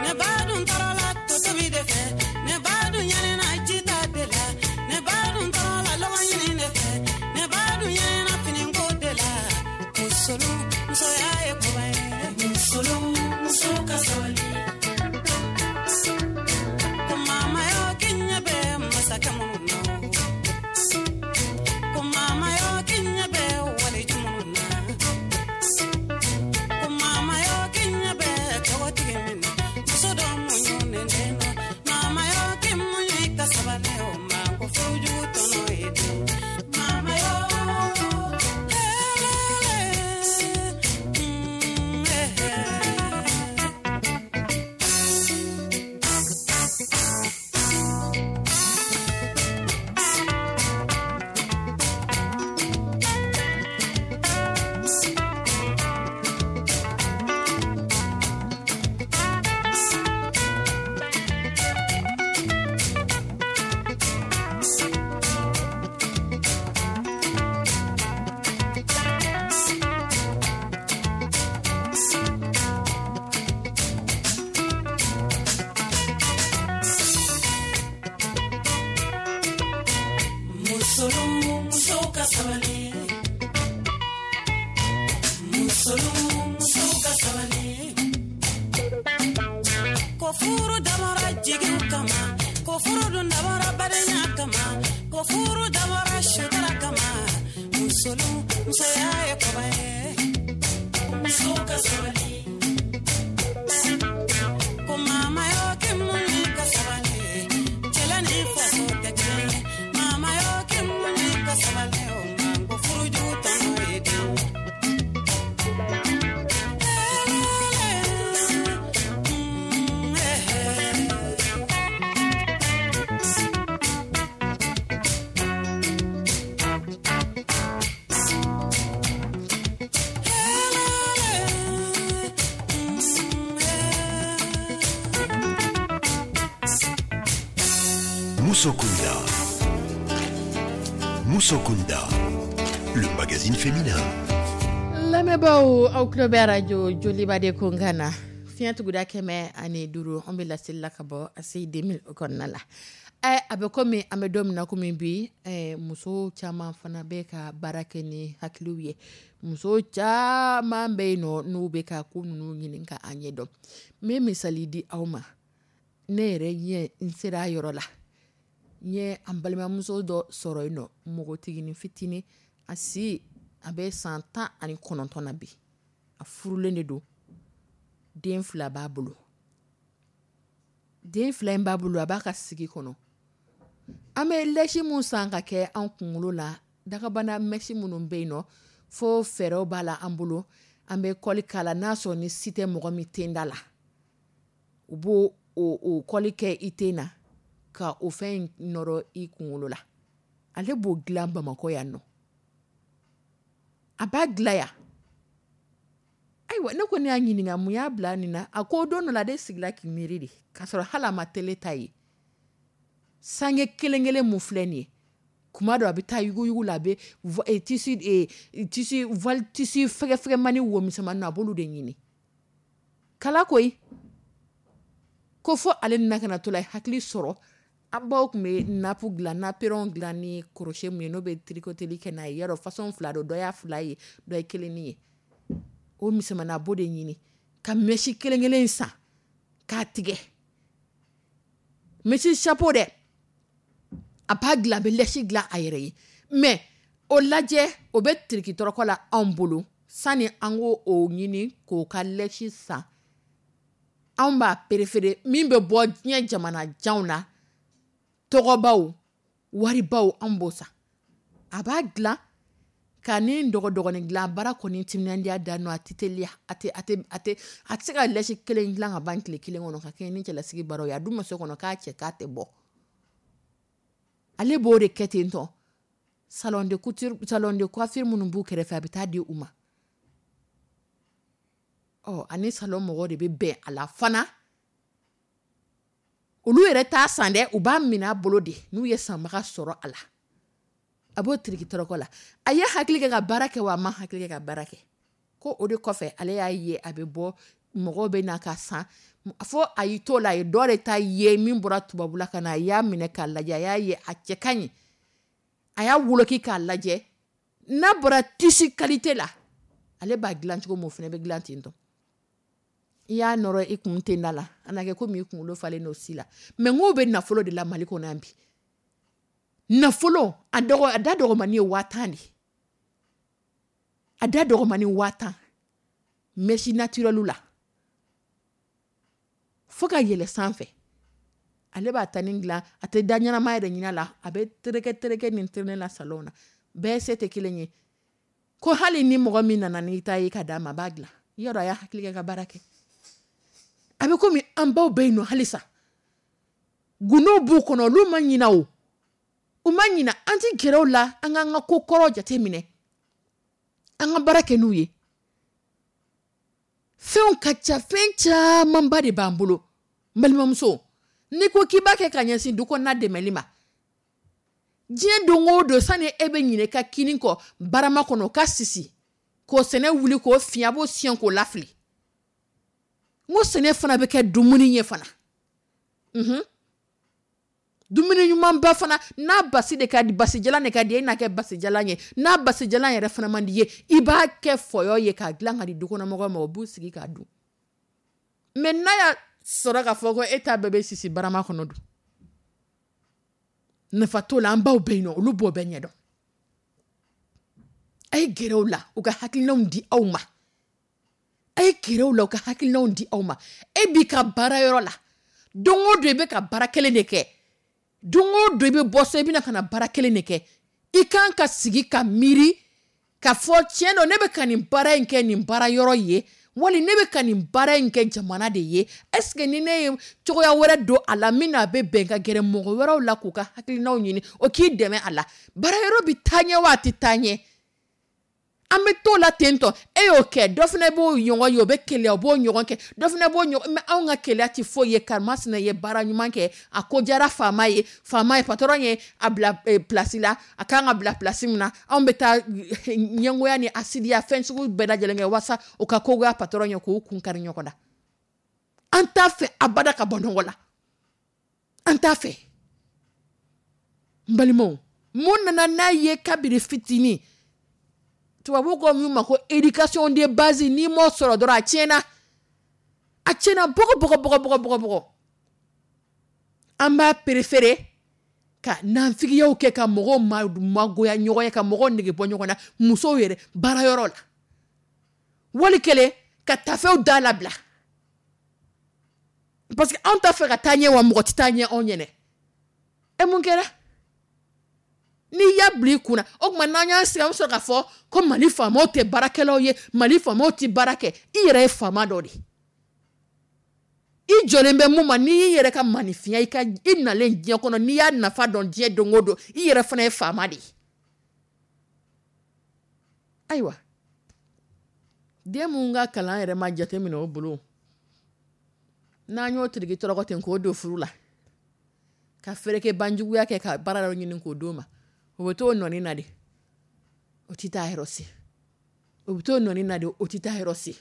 Ne ba dun tɔɔrɔ la to tobi de fɛ, ne ba dun ɲɛnɛna jita de la, ne ba dun tɔɔrɔ Ko furu dabɔra sutura kama, musolu musoya ye koba ye. Muso ka sabali. Ko mama yo k'i muɲu ka sabali, cɛla ni faso tɛ kelen ye. Mama yo k'i muɲu ka sabali, o nka ko furujugu tɔnɔ ye den. Mm, eh, eh. Moussokunda. Moussokunda, le magazine féminin. Lamɛnbaaw, aw tulo bɛ arajo Joliba de kunkan na, fiɲɛ tuguda kɛmɛ ani duuru. An bɛ laseli la ka bɔ A C I deux mille o kɔnɔna la. Ɛ a bɛ komi an bɛ don min na komi bi, ɛ muso caman fana bɛ ka baara kɛ ni hakiliw ye. Muso caman bɛ yen nɔ, n'u bɛ ka ko ninnu ɲini ka a ɲɛdɔn. N bɛ misali di aw ma. Ne yɛrɛ ɲɛ n sera a yɔrɔ la, n ye an balimamuso dɔ sɔrɔ yen nɔ, npogotiginin fitinin, a si a bɛ san tan ani kɔnɔntɔn na bi. A furulen de don, den fila b'a bolo. Den fila in b'a bolo, a b'a ka sigi kɔnɔ. An bɛ lɛsi mun san ka kɛ an kunkolo la, dagabana mèche minnu bɛ yen nɔ, fo fɛɛrɛw b'a la an bolo, an bɛ kɔli k'a la. N'a sɔrɔ ni si tɛ mɔgɔ min tenda la, u b'o o o kɔli kɛ i ten na ka o fɛn in nɔrɔ i kunkolo la. Ale b'o dilan Bamakɔ yan nɔ, a b'a dilan yan. Ayiwa, ne kɔni y'a ɲininka mun y'a bila nin na. A ko don dɔ la, ale sigila k'i miiri de, k'a sɔrɔ hali a ma télé ta ye. Sange kelen kelen mun filɛ nin ye, kuma dɔ a bɛ taa yuguyugu la, a bɛ tissu tissu voile, tissu fɛgɛfɛgɛmani, wo misɛnmanin, a b'olu de ɲini kala koyi. Ko fo ale nana ka na to la, hakili sɔrɔ. An baw tun bɛ nappe dilan, napperon dilan ni crochet mun ye, n'o bɛ tricoteli kɛ n'a ye. Yarɔ, façon fila don, dɔ y'a fila ye, dɔ ye kelennin ye. O misɛnmanin, a b'o de ɲini ka mèche kelen kelen san k'a tigɛ, mèche chapeau dɛ, a b'a dilan, a bɛ lɛsi dilan a yɛrɛ ye. Mais o lajɛ, o bɛ tiriki tɔrɔkɔ la anw bolo. Sani an k'o o ɲini k'o ka lɛsi san, anw b'a préféré min bɛ bɔ diɲɛ jamana janw na, tɔgɔbaw, waribaw, anw b'o san. A b'a dilan ka ni dɔgɔdɔgɔnin dilan baara kɔni timinandiya dan nɔ. A tɛ teliya, a tɛ a tɛ a tɛ a tɛ se ka lɛsi kelen dilan ka ban tile kelen kɔnɔ ka kɛɲɛ ni cɛlasigi baaraw ye. A dun ma so kɔnɔ k'a cɛ k'a tɛ bɔ, ale b'o de kɛ ten tɔ. Salon de couture, salon de coiffure minnu b'u kɛrɛfɛ, a bɛ taa di u ma. Ɔ ani salon mɔgɔw de bɛ bɛn a la fana. Olu yɛrɛ t'a san dɛ, u b'a minɛ a bolo de. N'u ye sanbaga sɔrɔ a la, a b'o tiriki tɔrɔkɔ la. A ye hakili kɛ ka baara kɛ wa, a ma hakili kɛ ka baara kɛ. Ko o de kɔfɛ, ale y'a ye a bɛ bɔ, mɔgɔw bɛ na ka san. Fo a y'i t'o la, a ye dɔ de ta ye min bɔra tubabula ka na. A y'a minɛ k'a lajɛ, a y'a ye a cɛ ka ɲi. A y'a woloki k'a lajɛ, n'a bɔra tissu qualité la, ale b'a dilan cogo min, o fana bɛ dilan ten tɔ. I y'a nɔrɔ i kun tenda la, a na kɛ komi i kunkolo falen don si la. Mais n k'o bɛ nafolo de la Mali kɔnɔ yan bi. Nafolo a dɔgɔ, a da dɔgɔmani ye waa tan de, a da dɔgɔmani waa tan, mèche naturelle la fo ka yɛlɛ sanfɛ. Ale b'a ta nin dilan, a tɛ da ɲɛnama yɛrɛ ɲini a la, a bɛ tereke tereke nin traîner la salon na. Bɛɛ se tɛ kelen ye. Ko hali ni mɔgɔ min nana n'i ta ye ka d'a ma, a b'a dilan. Yɔrɔ a y'a hakili kɛ ka baara kɛ. A bɛ komi an baw bɛ yen nɔ halisa, gundow b'u kɔnɔ, olu ma ɲina o, u ma ɲina. An ti gɛrɛ o la, an k'an ka ko kɔrɔ jate minɛ, an ka baara kɛ n'u ye. Fɛnw ka ca, fɛn camanba de b'an bolo. N balimamuso, n'i ko k'i b'a kɛ ka ɲɛsin du kɔnɔna dɛmɛli ma, diɲɛ don o don, sani e bɛ ɲinɛ i ka kini kɔ barama kɔnɔ ka sisi k'o sɛnɛ wuli k'o fiɲɛ, a b'o siɲɛ k'o lafili. N ko sɛnɛ fana bɛ kɛ dumuni ye fana, unhun, dumuni ɲumanba fana. N'a basi de ka di, basijalan de ka di, e n'a kɛ basijalan ye. N'a basijalan yɛrɛ fana man di ye, i b'a kɛ fɔyɔ ye k'a dilan ka di dukɔnɔmɔgɔw ma, o b'u sigi k'a dun. Mais n'a y'a sɔrɔ k'a fɔ ko e ta bɛɛ bɛ sisi barama kɔnɔ dun, Nafa t'o la, an baw bɛ yen nɔ, olu b'o bɛɛ ɲɛdɔn. A ye gɛrɛ u la, u ka hakilinaw di aw ma. A ye gɛrɛ u la, u ka hakilinaw di aw ma. E b'i ka baarayɔrɔ la, don o don i bɛ ka baara kelen de kɛ, don o don i bɛ bɔ so, i bɛna ka na baara kelen de kɛ. I kan ka sigi ka miiri ka fɔ tiɲɛ don, ne bɛ ka nin baara in kɛ nin baara yɔrɔ ye, wali ne bɛ ka nin baara in kɛ jamana de ye. Est-ce que ni ne ye cogoya wɛrɛ don a la min n'a bɛ bɛn, ka gɛrɛ mɔgɔ wɛrɛw la k'u ka hakilinaw ɲini, o k'i dɛmɛ a la, baara yɔrɔ bɛ taa ɲɛ wa a tɛ taa ɲɛ? An bɛ t'o la ten tɔ. E y'o kɛ, dɔ fana b'o ɲɔgɔn ye, o bɛ keleya, o b'o ɲɔgɔn kɛ, dɔ fana b'o ɲɔgɔn. Mais anw ka keleya tɛ foyi ye. Karimasina ye baara ɲuman kɛ, a ko diyara faama ye, faama ye patron ye a bila place la, a kan ka bila place min na. Anw bɛ taa ɲɛngoya ni asidiya fɛn sugu bɛɛ lajɛlen kɛ walasa o ka kogoya patron ye, k'o kun kari ɲɔgɔn na. An t'a fɛ abada ka bɔ nɔgɔ la, an t'a fɛ. N balimaw, mun nana n'a ye kabiri fitinin, tubabu ko min ma ko éducation de base, n'i m'o sɔrɔ dɔrɔn a tiɲɛna, a tiɲɛna bɔgɔ bɔgɔ bɔgɔ bɔgɔ bɔgɔ bɔgɔ. An b'a préféré ka nanfigiyaw kɛ, ka mɔgɔw magoya ɲɔgɔn ye, ka mɔgɔw nege bɔ ɲɔgɔn na, musow yɛrɛ baarayɔrɔ la, wali kelen ka tafew da labila, parce que anw t'a fɛ ka taa ɲɛ, wa mɔgɔ tɛ taa ɲɛ anw ɲɛnɛ. E mun kɛra? N'i y'a bila i kunna, o tuma n'an y'an sigi, an bɛ sɔrɔ k'a fɔ ko Mali faamaw tɛ baarakɛlaw ye, Mali faamaw tɛ baara kɛ. I yɛrɛ ye faama dɔ de ye, i jɔlen bɛ mun ma, n'i y'i yɛrɛ ka maninfinya, i ka i nalen diɲɛ kɔnɔ, n'i y'a nafa dɔn diɲɛ don o don, i yɛrɛ fana ye faama de ye. Ayiwa, den mun ka kalan yɛrɛ ma jateminɛ o bolo, n'an y'o tiriki tɔrɔkɔ ten k'o don furu la, ka fereke banjuguya kɛ ka baara dɔ ɲini k'o d'o ma, o bɛ t'o nɔni na de, o tɛ taa yɔrɔ si. O bɛ t'o nɔni na de, o tɛ taa yɔrɔ si.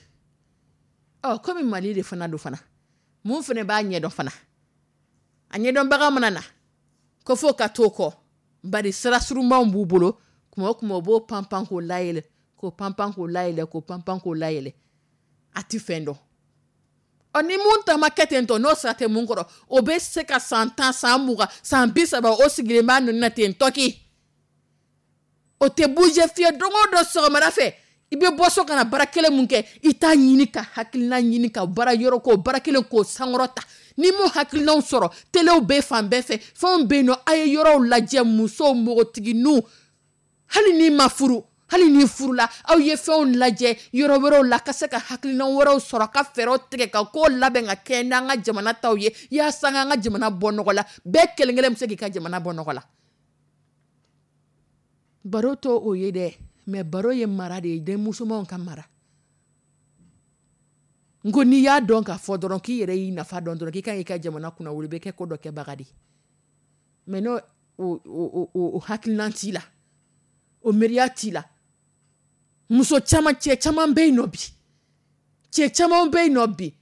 Ɔ, komi Mali de fana don fana, mun fana b'a ɲɛdɔn fana, a ɲɛdɔnbaga mana na ko fo ka t'o kɔ, bari sira surunmanw b'u bolo, kuma o kuma o b'o panpan k'o layɛlɛ, k'o panpan k'o layɛlɛ, k'o panpan k'o layɛlɛ, a ti fɛn dɔn. Ɔ, ni mun ta ma kɛ ten tɔ, n'o sira tɛ mun kɔrɔ, o bɛ se ka san tan, san mugan, san bi saba, o sigilen b'a nɔni na ten tɔki, o tɛ bouger fiyewu. Don o don sɔgɔmada fɛ, i bɛ bɔ so ka na baara kelen mun kɛ, i t'a ɲini ka hakilina ɲini ka baara yɔrɔ k'o baara kelen k'o sankɔrɔ ta. N'i m'o hakilinaw sɔrɔ, telew bɛ fan bɛɛ fɛ, fɛnw bɛ yen nɔ, a ye yɔrɔw lajɛ, musow, npogotigininw, hali n'i ma furu, hali n'i furula, aw ye fɛnw lajɛ yɔrɔ wɛrɛw la, ka se ka hakilina wɛrɛw sɔrɔ, ka fɛɛrɛw tigɛ, ka ko labɛn ka kɛ n'an ka jamana taw ye, yaasa an ka jamana bɔ nɔgɔ la. Bɛɛ kelen kelen bɛ se k'i ka jamana bɔ nɔgɔ la. Baro t'o o ye dɛ, mais baro ye mara de ye, denmusomanw ka mara. N ko n'i y'a dɔn k'a fɔ dɔrɔn k'i yɛrɛ y'i nafa dɔn dɔrɔn, k'i kan k'i ka jamana kunna wuli, i bɛ kɛ ko dɔ kɛbaga de ye. Mais n'o o o o o hakilina t'i la, o miiriya t'i la, muso caman, cɛ caman bɛ yen nɔ bi, cɛ caman bɛ yen nɔ bi,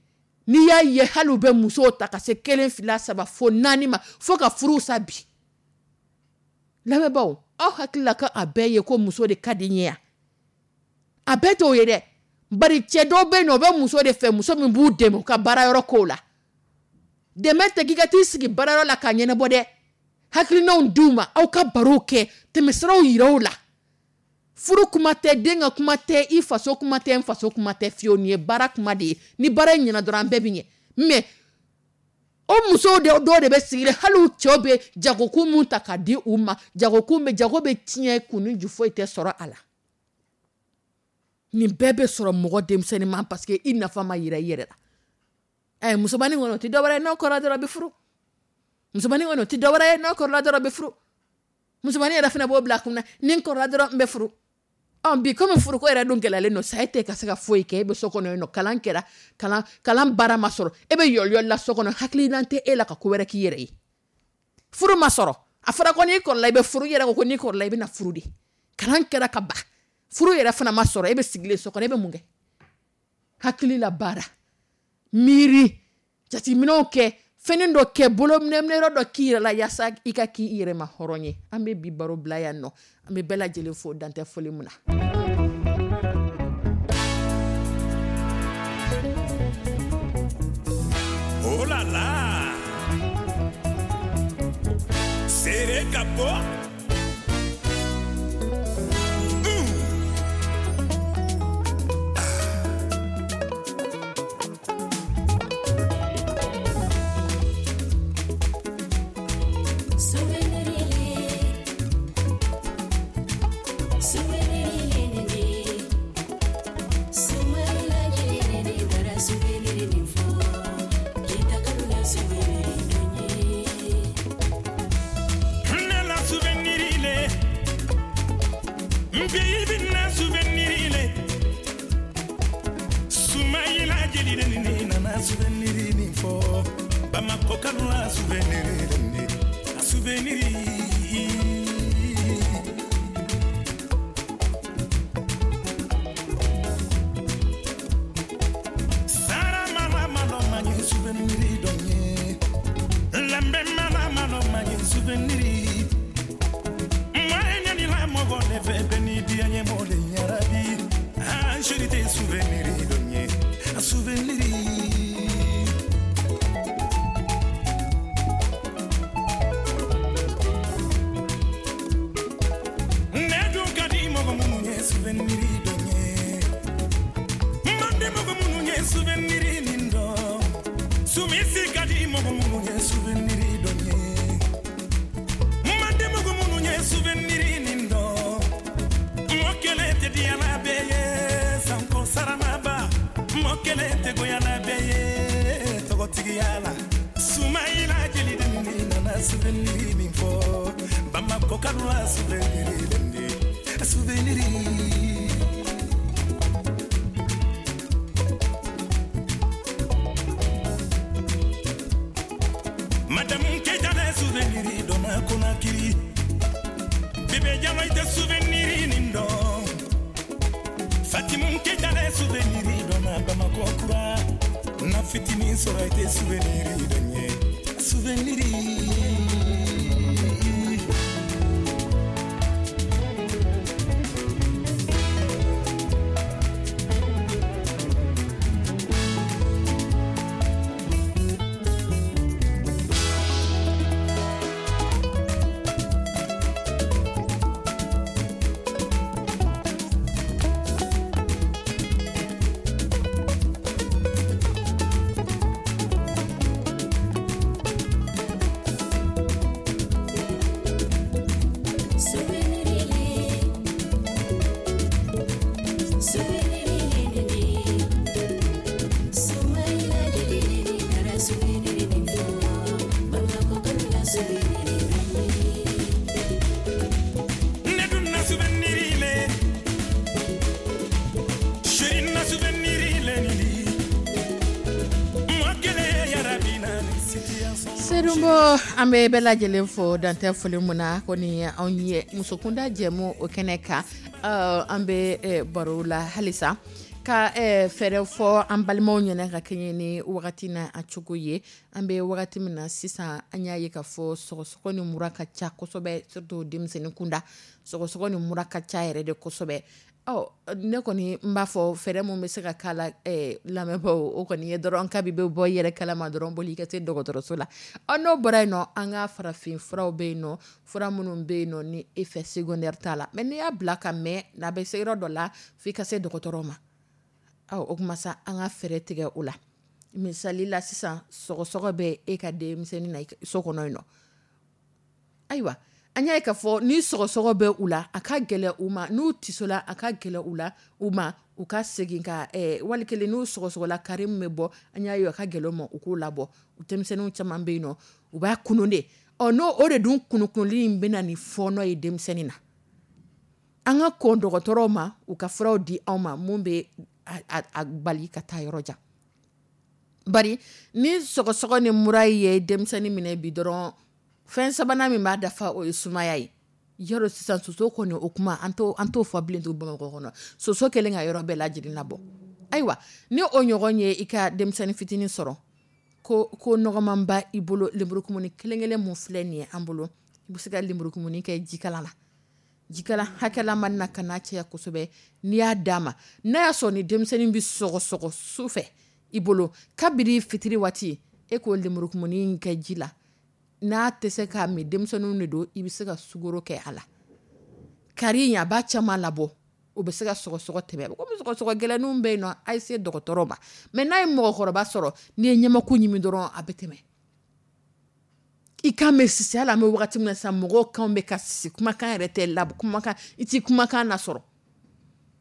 n'i y'a ye hali u bɛ musow ta ka se kelen, fila, saba fo naani ma, fo ka furuw sa bi. Lamɛnbaaw, aw hakili la ko a bɛɛ ye ko muso de ka di n ye yan? A bɛɛ t'o ye dɛ, bari cɛ dɔw bɛ yen nɔ, o bɛ muso de fɛ, muso min b'u dɛmɛ u ka baarayɔrɔ kow la. Dɛmɛ tɛ k'i ka t'i sigi baarayɔrɔ la k'a ɲɛnabɔ dɛ, hakilinaw d'u ma, aw ka barow kɛ, tɛmɛsiraw yira u la. Furu kuma tɛ, den ka kuma tɛ, i faso kuma tɛ, n faso kuma tɛ fiyewu, nin ye baara kuma de ye. Ni baara in ɲɛna dɔrɔn, an bɛɛ bɛ ɲɛ. Mais o musow de dɔw de bɛ sigi hali u cɛw bɛ jagokun mun ta k'a di u ma, jagokun bɛ jago bɛ tiɲɛ, kun ni ju foyi tɛ sɔrɔ a la. Nin bɛɛ bɛ sɔrɔ mɔgɔ denmisɛnnin ma, parce que i nafa ma yira i yɛrɛ la. Ɛ, musomanin kɔni, o tɛ dɔwɛrɛ ye, n'o kɔrɔla dɔrɔn a bɛ furu. Musomanin kɔni, o tɛ dɔwɛrɛ ye, n'o kɔrɔla dɔrɔn a bɛ furu. Musomanin yɛrɛ fana b'o bila a kunna, ni n kɔrɔla dɔrɔn n bɛ furu. Ɔ, bi komi furuko yɛrɛ dun gɛlɛyalen don sa, e tɛ ka se ka foyi kɛ, e bɛ so kɔnɔ yen nɔ, kalan kɛra, kalan kalan baara ma sɔrɔ, e bɛ yɔliyɔli la so kɔnɔ, hakilina tɛ e la ka ko wɛrɛ k'i yɛrɛ ye. Furu ma sɔrɔ, a fɔra ko n'i kɔrɔla i bɛ furu, i yɛrɛ ko ko n'i kɔrɔla i bɛ na furu de. Kalan kɛra ka ban, furu yɛrɛ fana ma sɔrɔ, e bɛ sigilen so kɔnɔ, e bɛ mun kɛ? Hakili la baara, miiri, jateminɛw kɛ, fɛnnin dɔ kɛ, bolo minɛminɛyɔrɔ dɔ k'i yɛrɛ la, yaasa i ka k'i yɛrɛ ma hɔrɔn ye. An bɛ bi baro bila yan nɔ, an bɛ bɛɛ lajɛlen fo dantɛ foli mun na. Oh là là! Seere Ka bɔ. An bɛ bɛɛ lajɛlen fo dantɛ foli mun na ko ni anw ye musokunda jɛmu o kɛnɛ kan, an bɛ baro la halisa ka fɛɛrɛ fɔ an balimaw ɲɛna ka kɛɲɛ ni wagati na a cogo ye. An bɛ wagati min na sisan, an y'a ye ka fɔ sɔgɔsɔgɔ ni mura ka ca kosɛbɛ, surtout denmisɛnnin kunda. Sɔgɔsɔgɔ ni mura ka ca yɛrɛ de kosɛbɛ. Ɔ ne kɔni n b'a fɔ fɛɛrɛ mun bɛ se ka k'a la lamɛnbaaw, o kɔni ye dɔrɔn kabi bɛ bɔ yɛrɛ kalama dɔrɔn boli ka se dɔgɔtɔrɔso la. Ɔ n'o bɔra yen nɔ, an ka farafin furaw bɛ yen nɔ, fura minnu bɛ yen nɔ ni effet secondaire t'a la, mais n'i y'a bila ka mɛn n'a bɛ se yɔrɔ dɔ la f'i ka se dɔgɔtɔrɔ ma. Ɔ o kuma sa an ka fɛɛrɛ tigɛ o la. Misali la sisan, sɔgɔsɔgɔ bɛ e ka denmisɛnnin na so kɔnɔ yen nɔ. Ayiwa, an y'a ye k'a fɔ ni sɔgɔsɔgɔ bɛ u la, a ka gɛlɛ u ma, n'u tisola a ka gɛlɛ u la u ma u ka segin ka wali kelen n'u sɔgɔsɔgɔla kari min bɛ bɔ, an y'a ye a ka gɛlɛ u ma u k'o labɔ. U denmisɛnninw caman bɛ yen nɔ, u b'a kunun de. Ɔ n'o o de dun kunukunli in bɛ na ni fɔɔnɔ ye denmisɛnnin na. An ka kɔn dɔgɔtɔrɔw ma, u ka furaw di anw ma mun bɛ a bali ka taa yɔrɔ jan. Bari ni sɔgɔsɔgɔ ni mura ye denmisɛnnin minɛ bi dɔrɔn, fɛn sabanan min b'a dafa o ye sumaya ye. Yɔrɔ sisan soso kɔni o kuma an t'o an t'o fɔ bilen tugun Bamakɔ kɔnɔ. Soso kɛlen ka yɔrɔ bɛɛ lajɛlen labɔ. Ayiwa, ni o ɲɔgɔn ye i ka denmisɛnnin fitinin sɔrɔ, ko ko nɔgɔmanba i bolo, lenburukumuni kelen kelen mun filɛ nin ye an bolo, i bɛ se ka lenburukumuni kɛ jikalan na. Jikalan hakɛlama na ka n'a caya kosɛbɛ, n'i y'a d'a ma, n'a y'a sɔrɔ ni denmisɛnnin bɛ sɔgɔsɔgɔ su fɛ i bolo, kabini fitiri waati e k'o lenburukumuni kɛ ji la. N'a tɛ se k'a min, denmisɛnninw de don, i bɛ se ka sukaro kɛ a la. Kari in, a b'a caman labɔ, o bɛ se ka sɔgɔsɔgɔ tɛmɛ. Komi sɔgɔsɔgɔ gɛlɛnninw bɛ yen nɔ, a ye se dɔgɔtɔrɔ ma. Mais n'a ye mɔgɔkɔrɔba sɔrɔ, n'i ye ɲamaku ɲimi dɔrɔn, a bɛ tɛmɛ. I kan bɛ sisi. Hali an bɛ wagati min na sisan, mɔgɔw kan bɛ ka sisi, kumakan yɛrɛ tɛ labɔ, kumakan i ti kumakan lasɔrɔ,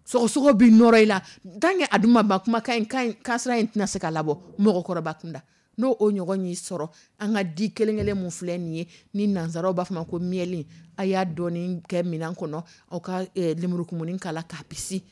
sɔgɔsɔgɔ bɛ nɔrɔ i la. Tant que a dun ma ban, kumakan in kan kansira in tɛna se ka labɔ mɔgɔkɔrɔba kunda. N'o o ɲɔgɔn y'i sɔrɔ, an ka di kelen kelen mun filɛ nin ye, ni nanzaraw b'a fɔ ma ko miel, a y'a dɔɔni kɛ minɛn kɔnɔ, aw ka lemurukumuni k'a la k'a bisi.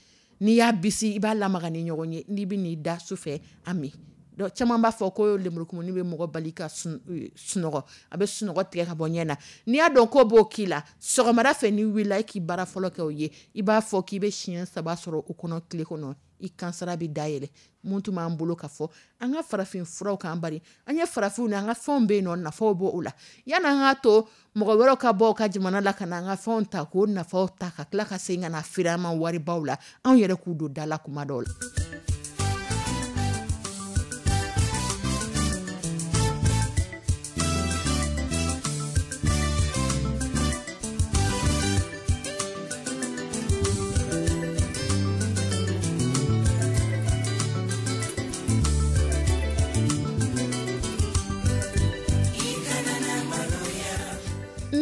N'i y'a bisi, i b'a lamaga ni ɲɔgɔn ye. N'i bɛ n'i da su fɛ, a min. Donc caman b'a fɔ ko lemurukumuni bɛ mɔgɔ bali ka sunɔgɔ, a bɛ sunɔgɔ tigɛ ka bɔ ɲɛ na. N'i y'a dɔn ko b'o k'i la, sɔgɔmada fɛ n'i wulila, e k'i baara fɔlɔ kɛ o ye, i b'a fɔ k'i bɛ siɲɛ saba sɔrɔ o kɔnɔ tile kɔnɔ, i kansara bɛ dayɛlɛ. Mun tun b'an bolo ka fɔ an ka farafin furaw kan, bari an ye farafinw ni an ka fɛnw bɛ yen nɔ, nafaw b'o la. Yanni an k'a to mɔgɔ wɛrɛw ka bɔ u ka jamana la ka na an ka fɛnw ta, k'o nafaw ta ka tila ka segin ka na feere an ma waribaw la, anw yɛrɛ k'u don da la kuma dɔw la.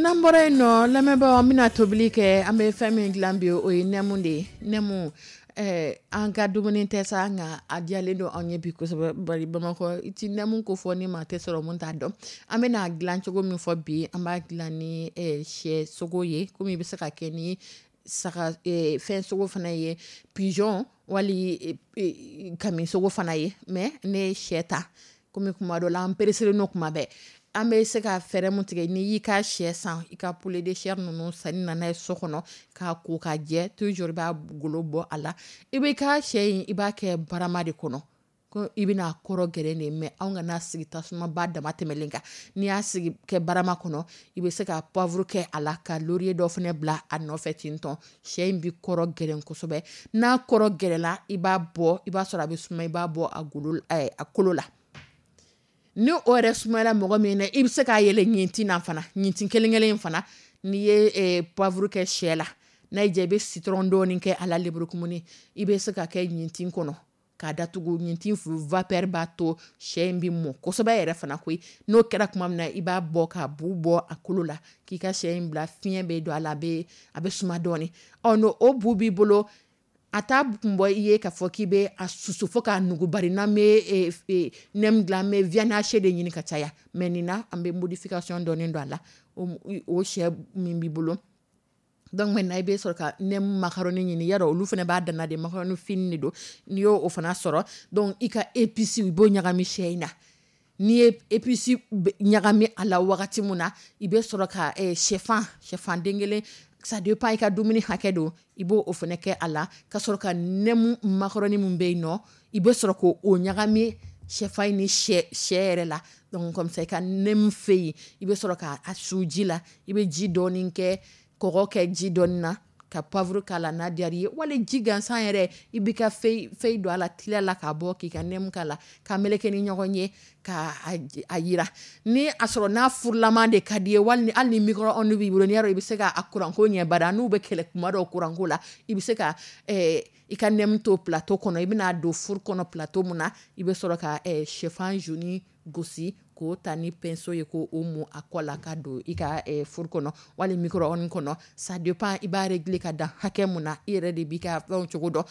N'an bɔra yen nɔ, lamɛnbaaw, an bɛna tobili kɛ. An bɛ fɛn min dilan bi, o ye nɛmu de ye. Nɛmu, ɛɛ an ka dumuni tɛ sa, nka a diyalen don anw ye bi kosɛbɛ. Bari Bamakɔ, i ti nɛmu ko fɔ ni maa tɛ sɔrɔ mun t'a dɔn. An bɛna dilan cogo min fɔ bi, an b'a dilan ni sɛ sogo ye, komi i bɛ se ka kɛ ni saga fɛn sogo fana ye, pigeon wali kami sogo fana ye. Mais ne ye sɛ ta, komi kuma dɔ la an pereselen don kuma bɛɛ. An bɛ se ka fɛɛrɛ mun tigɛ, n'i y'i ka sɛ san, i ka poulet de chair ninnu sanni nana ye so kɔnɔ k'a ko k'a jɛ, toujours i b'a golo bɔ a la. I b'i ka sɛ in, i b'a kɛ barama de kɔnɔ, ko i bɛna kɔrɔ gɛrɛ de, mais anw kana sigi tasumaba dama tɛmɛlen kan. N'i y'a sigi kɛ barama kɔnɔ, i bɛ se ka poivre kɛ a la, ka laurier dɔ fana bila a nɔfɛ ten tɔn. Sɛ in bɛ kɔrɔ gɛrɛ kosɛbɛ. N'a kɔrɔ gɛrɛla, i b'a bɔ, i b'a sɔrɔ a bɛ suma, i b'a bɔ a golo, a kolo la. Ni o yɛrɛ sumayara mɔgɔ min na, i bɛ se k'a yɛlɛ ɲintin na fana, ɲintin kelen kelen fana. N'i ye poivre kɛ sɛ la, n'a y'i diya, i bɛ citron dɔɔni kɛ a la, lemurukumuni, i bɛ se ka kɛ ɲintin kɔnɔ k'a datugu. Ɲintin vapeur b'a to sɛ in bɛ mɔ kosɛbɛ yɛrɛ fana koyi. N'o kɛra tuma min na, i b'a bɔ k'a bu bɔ a kolo la, k'i ka sɛ in bila, fiɲɛ bɛ don a la, a bɛ a bɛ suma dɔɔni. Ɔ n'o o bu b'i bolo, a t'a kun bɔ i ye k'a fɔ k'i bɛ a susu fo k'a nugu, bari n'an bɛ nɛmu dilan, an bɛ viande hachée de ɲini ka caya. Mais nin na, an bɛ modification dɔɔni don a la. O sɛ min b'i bolo, donc maintenant i bɛ sɔrɔ ka nɛmu macaroni ɲini. Yarɔ, olu fana b'a danna de, macaroni fini de don. N'i y'o fana sɔrɔ, donc i ka épice, i b'o ɲagami sɛ in na. N'i ye épice ɲagami a la wagati mun na, i bɛ sɔrɔ ka sɛfan, sɛfan den kelen, ça dépend i ka dumuni hakɛ don, i b'o o fana kɛ a la, ka sɔrɔ ka nɛmu macaroni min bɛ yen nɔ, i bɛ sɔrɔ k'o ɲagami sɛfan in ni sɛ sɛ yɛrɛ la. Donc comme ça i ka nɛmu fɛ yen, i bɛ sɔrɔ k'a su ji la. I bɛ ji dɔɔni kɛ, kɔgɔ kɛ ji dɔɔni na, ka poivre k'a la n'a diyara i ye, wali ji gansan yɛrɛ, i b'i ka feuille feuille don a la teliya la, k'a bɔ k'i ka nɛmu k'a la, k'a meleke ni ɲɔgɔn ye, k'a a yira. Ni a sɔrɔ n'a furulama de ka di ye, wali hali ni micro-ondes b'i bolo, n'i y'a dɔn i bɛ se k'a kuranko ɲɛ, bari an n'u bɛ kɛlɛ kuma dɔw kuranko la, i bɛ se ka i ka nɛmu to plateau kɔnɔ. I bɛna don four kɔnɔ plateau mun na, i bɛ sɔrɔ ka sɛfan jaune gosi k'o ta ni pinceau ye, k'o mun a kɔ la ka don i ka four kɔnɔ wali micro-ondes kɔnɔ. Ça dépend i b'a régler ka dan hakɛ mun na, i yɛrɛ de b'i ka fɛnw cogo dɔn.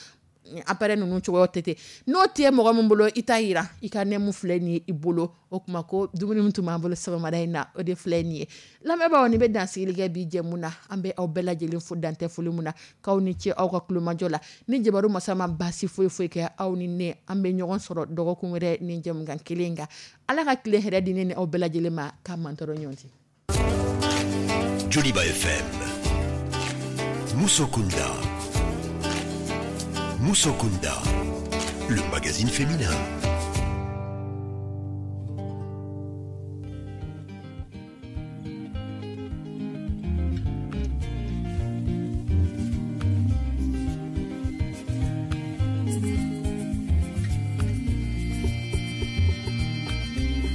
Appareil ninnu cogoyaw tɛ ten. N'o tɛ mɔgɔ min bolo, i t'a yira i ka nɛmu filɛ nin ye i bolo. O tuma ko dumuni min tun b'an bolo sɔgɔmada in na, o de filɛ nin ye. Lamɛnbaaw, ni bɛ dansigili kɛ bi jɛmu na. An bɛ aw bɛɛ lajɛlen fo dantɛ foli mun na, k'aw ni ce aw ka kulomajɔ la. Ni jabaru masa ma baasi foyi foyi kɛ aw ni ne, an bɛ ɲɔgɔn sɔrɔ dɔgɔkun wɛrɛ ni jɛmukan kelen kan. Ala ka tile hɛrɛ di ne ni aw bɛɛ lajɛlen ma, k'a mantɔrɔ ɲɔgɔn cɛ. Joliba F M, Muso Kunda. Muso Kunda, le magazine féminin.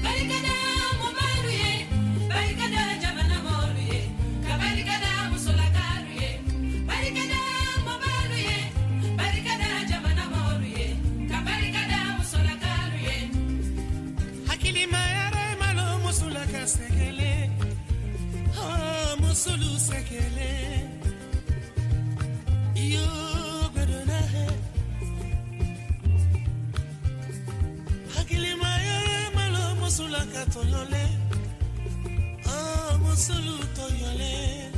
Barikada, Momaru ye, barikada. Musolu sekele iyo gbedona he hakilima ye malo musula ka tɔɲɔlen, oh, musolu tɔɲɔlen.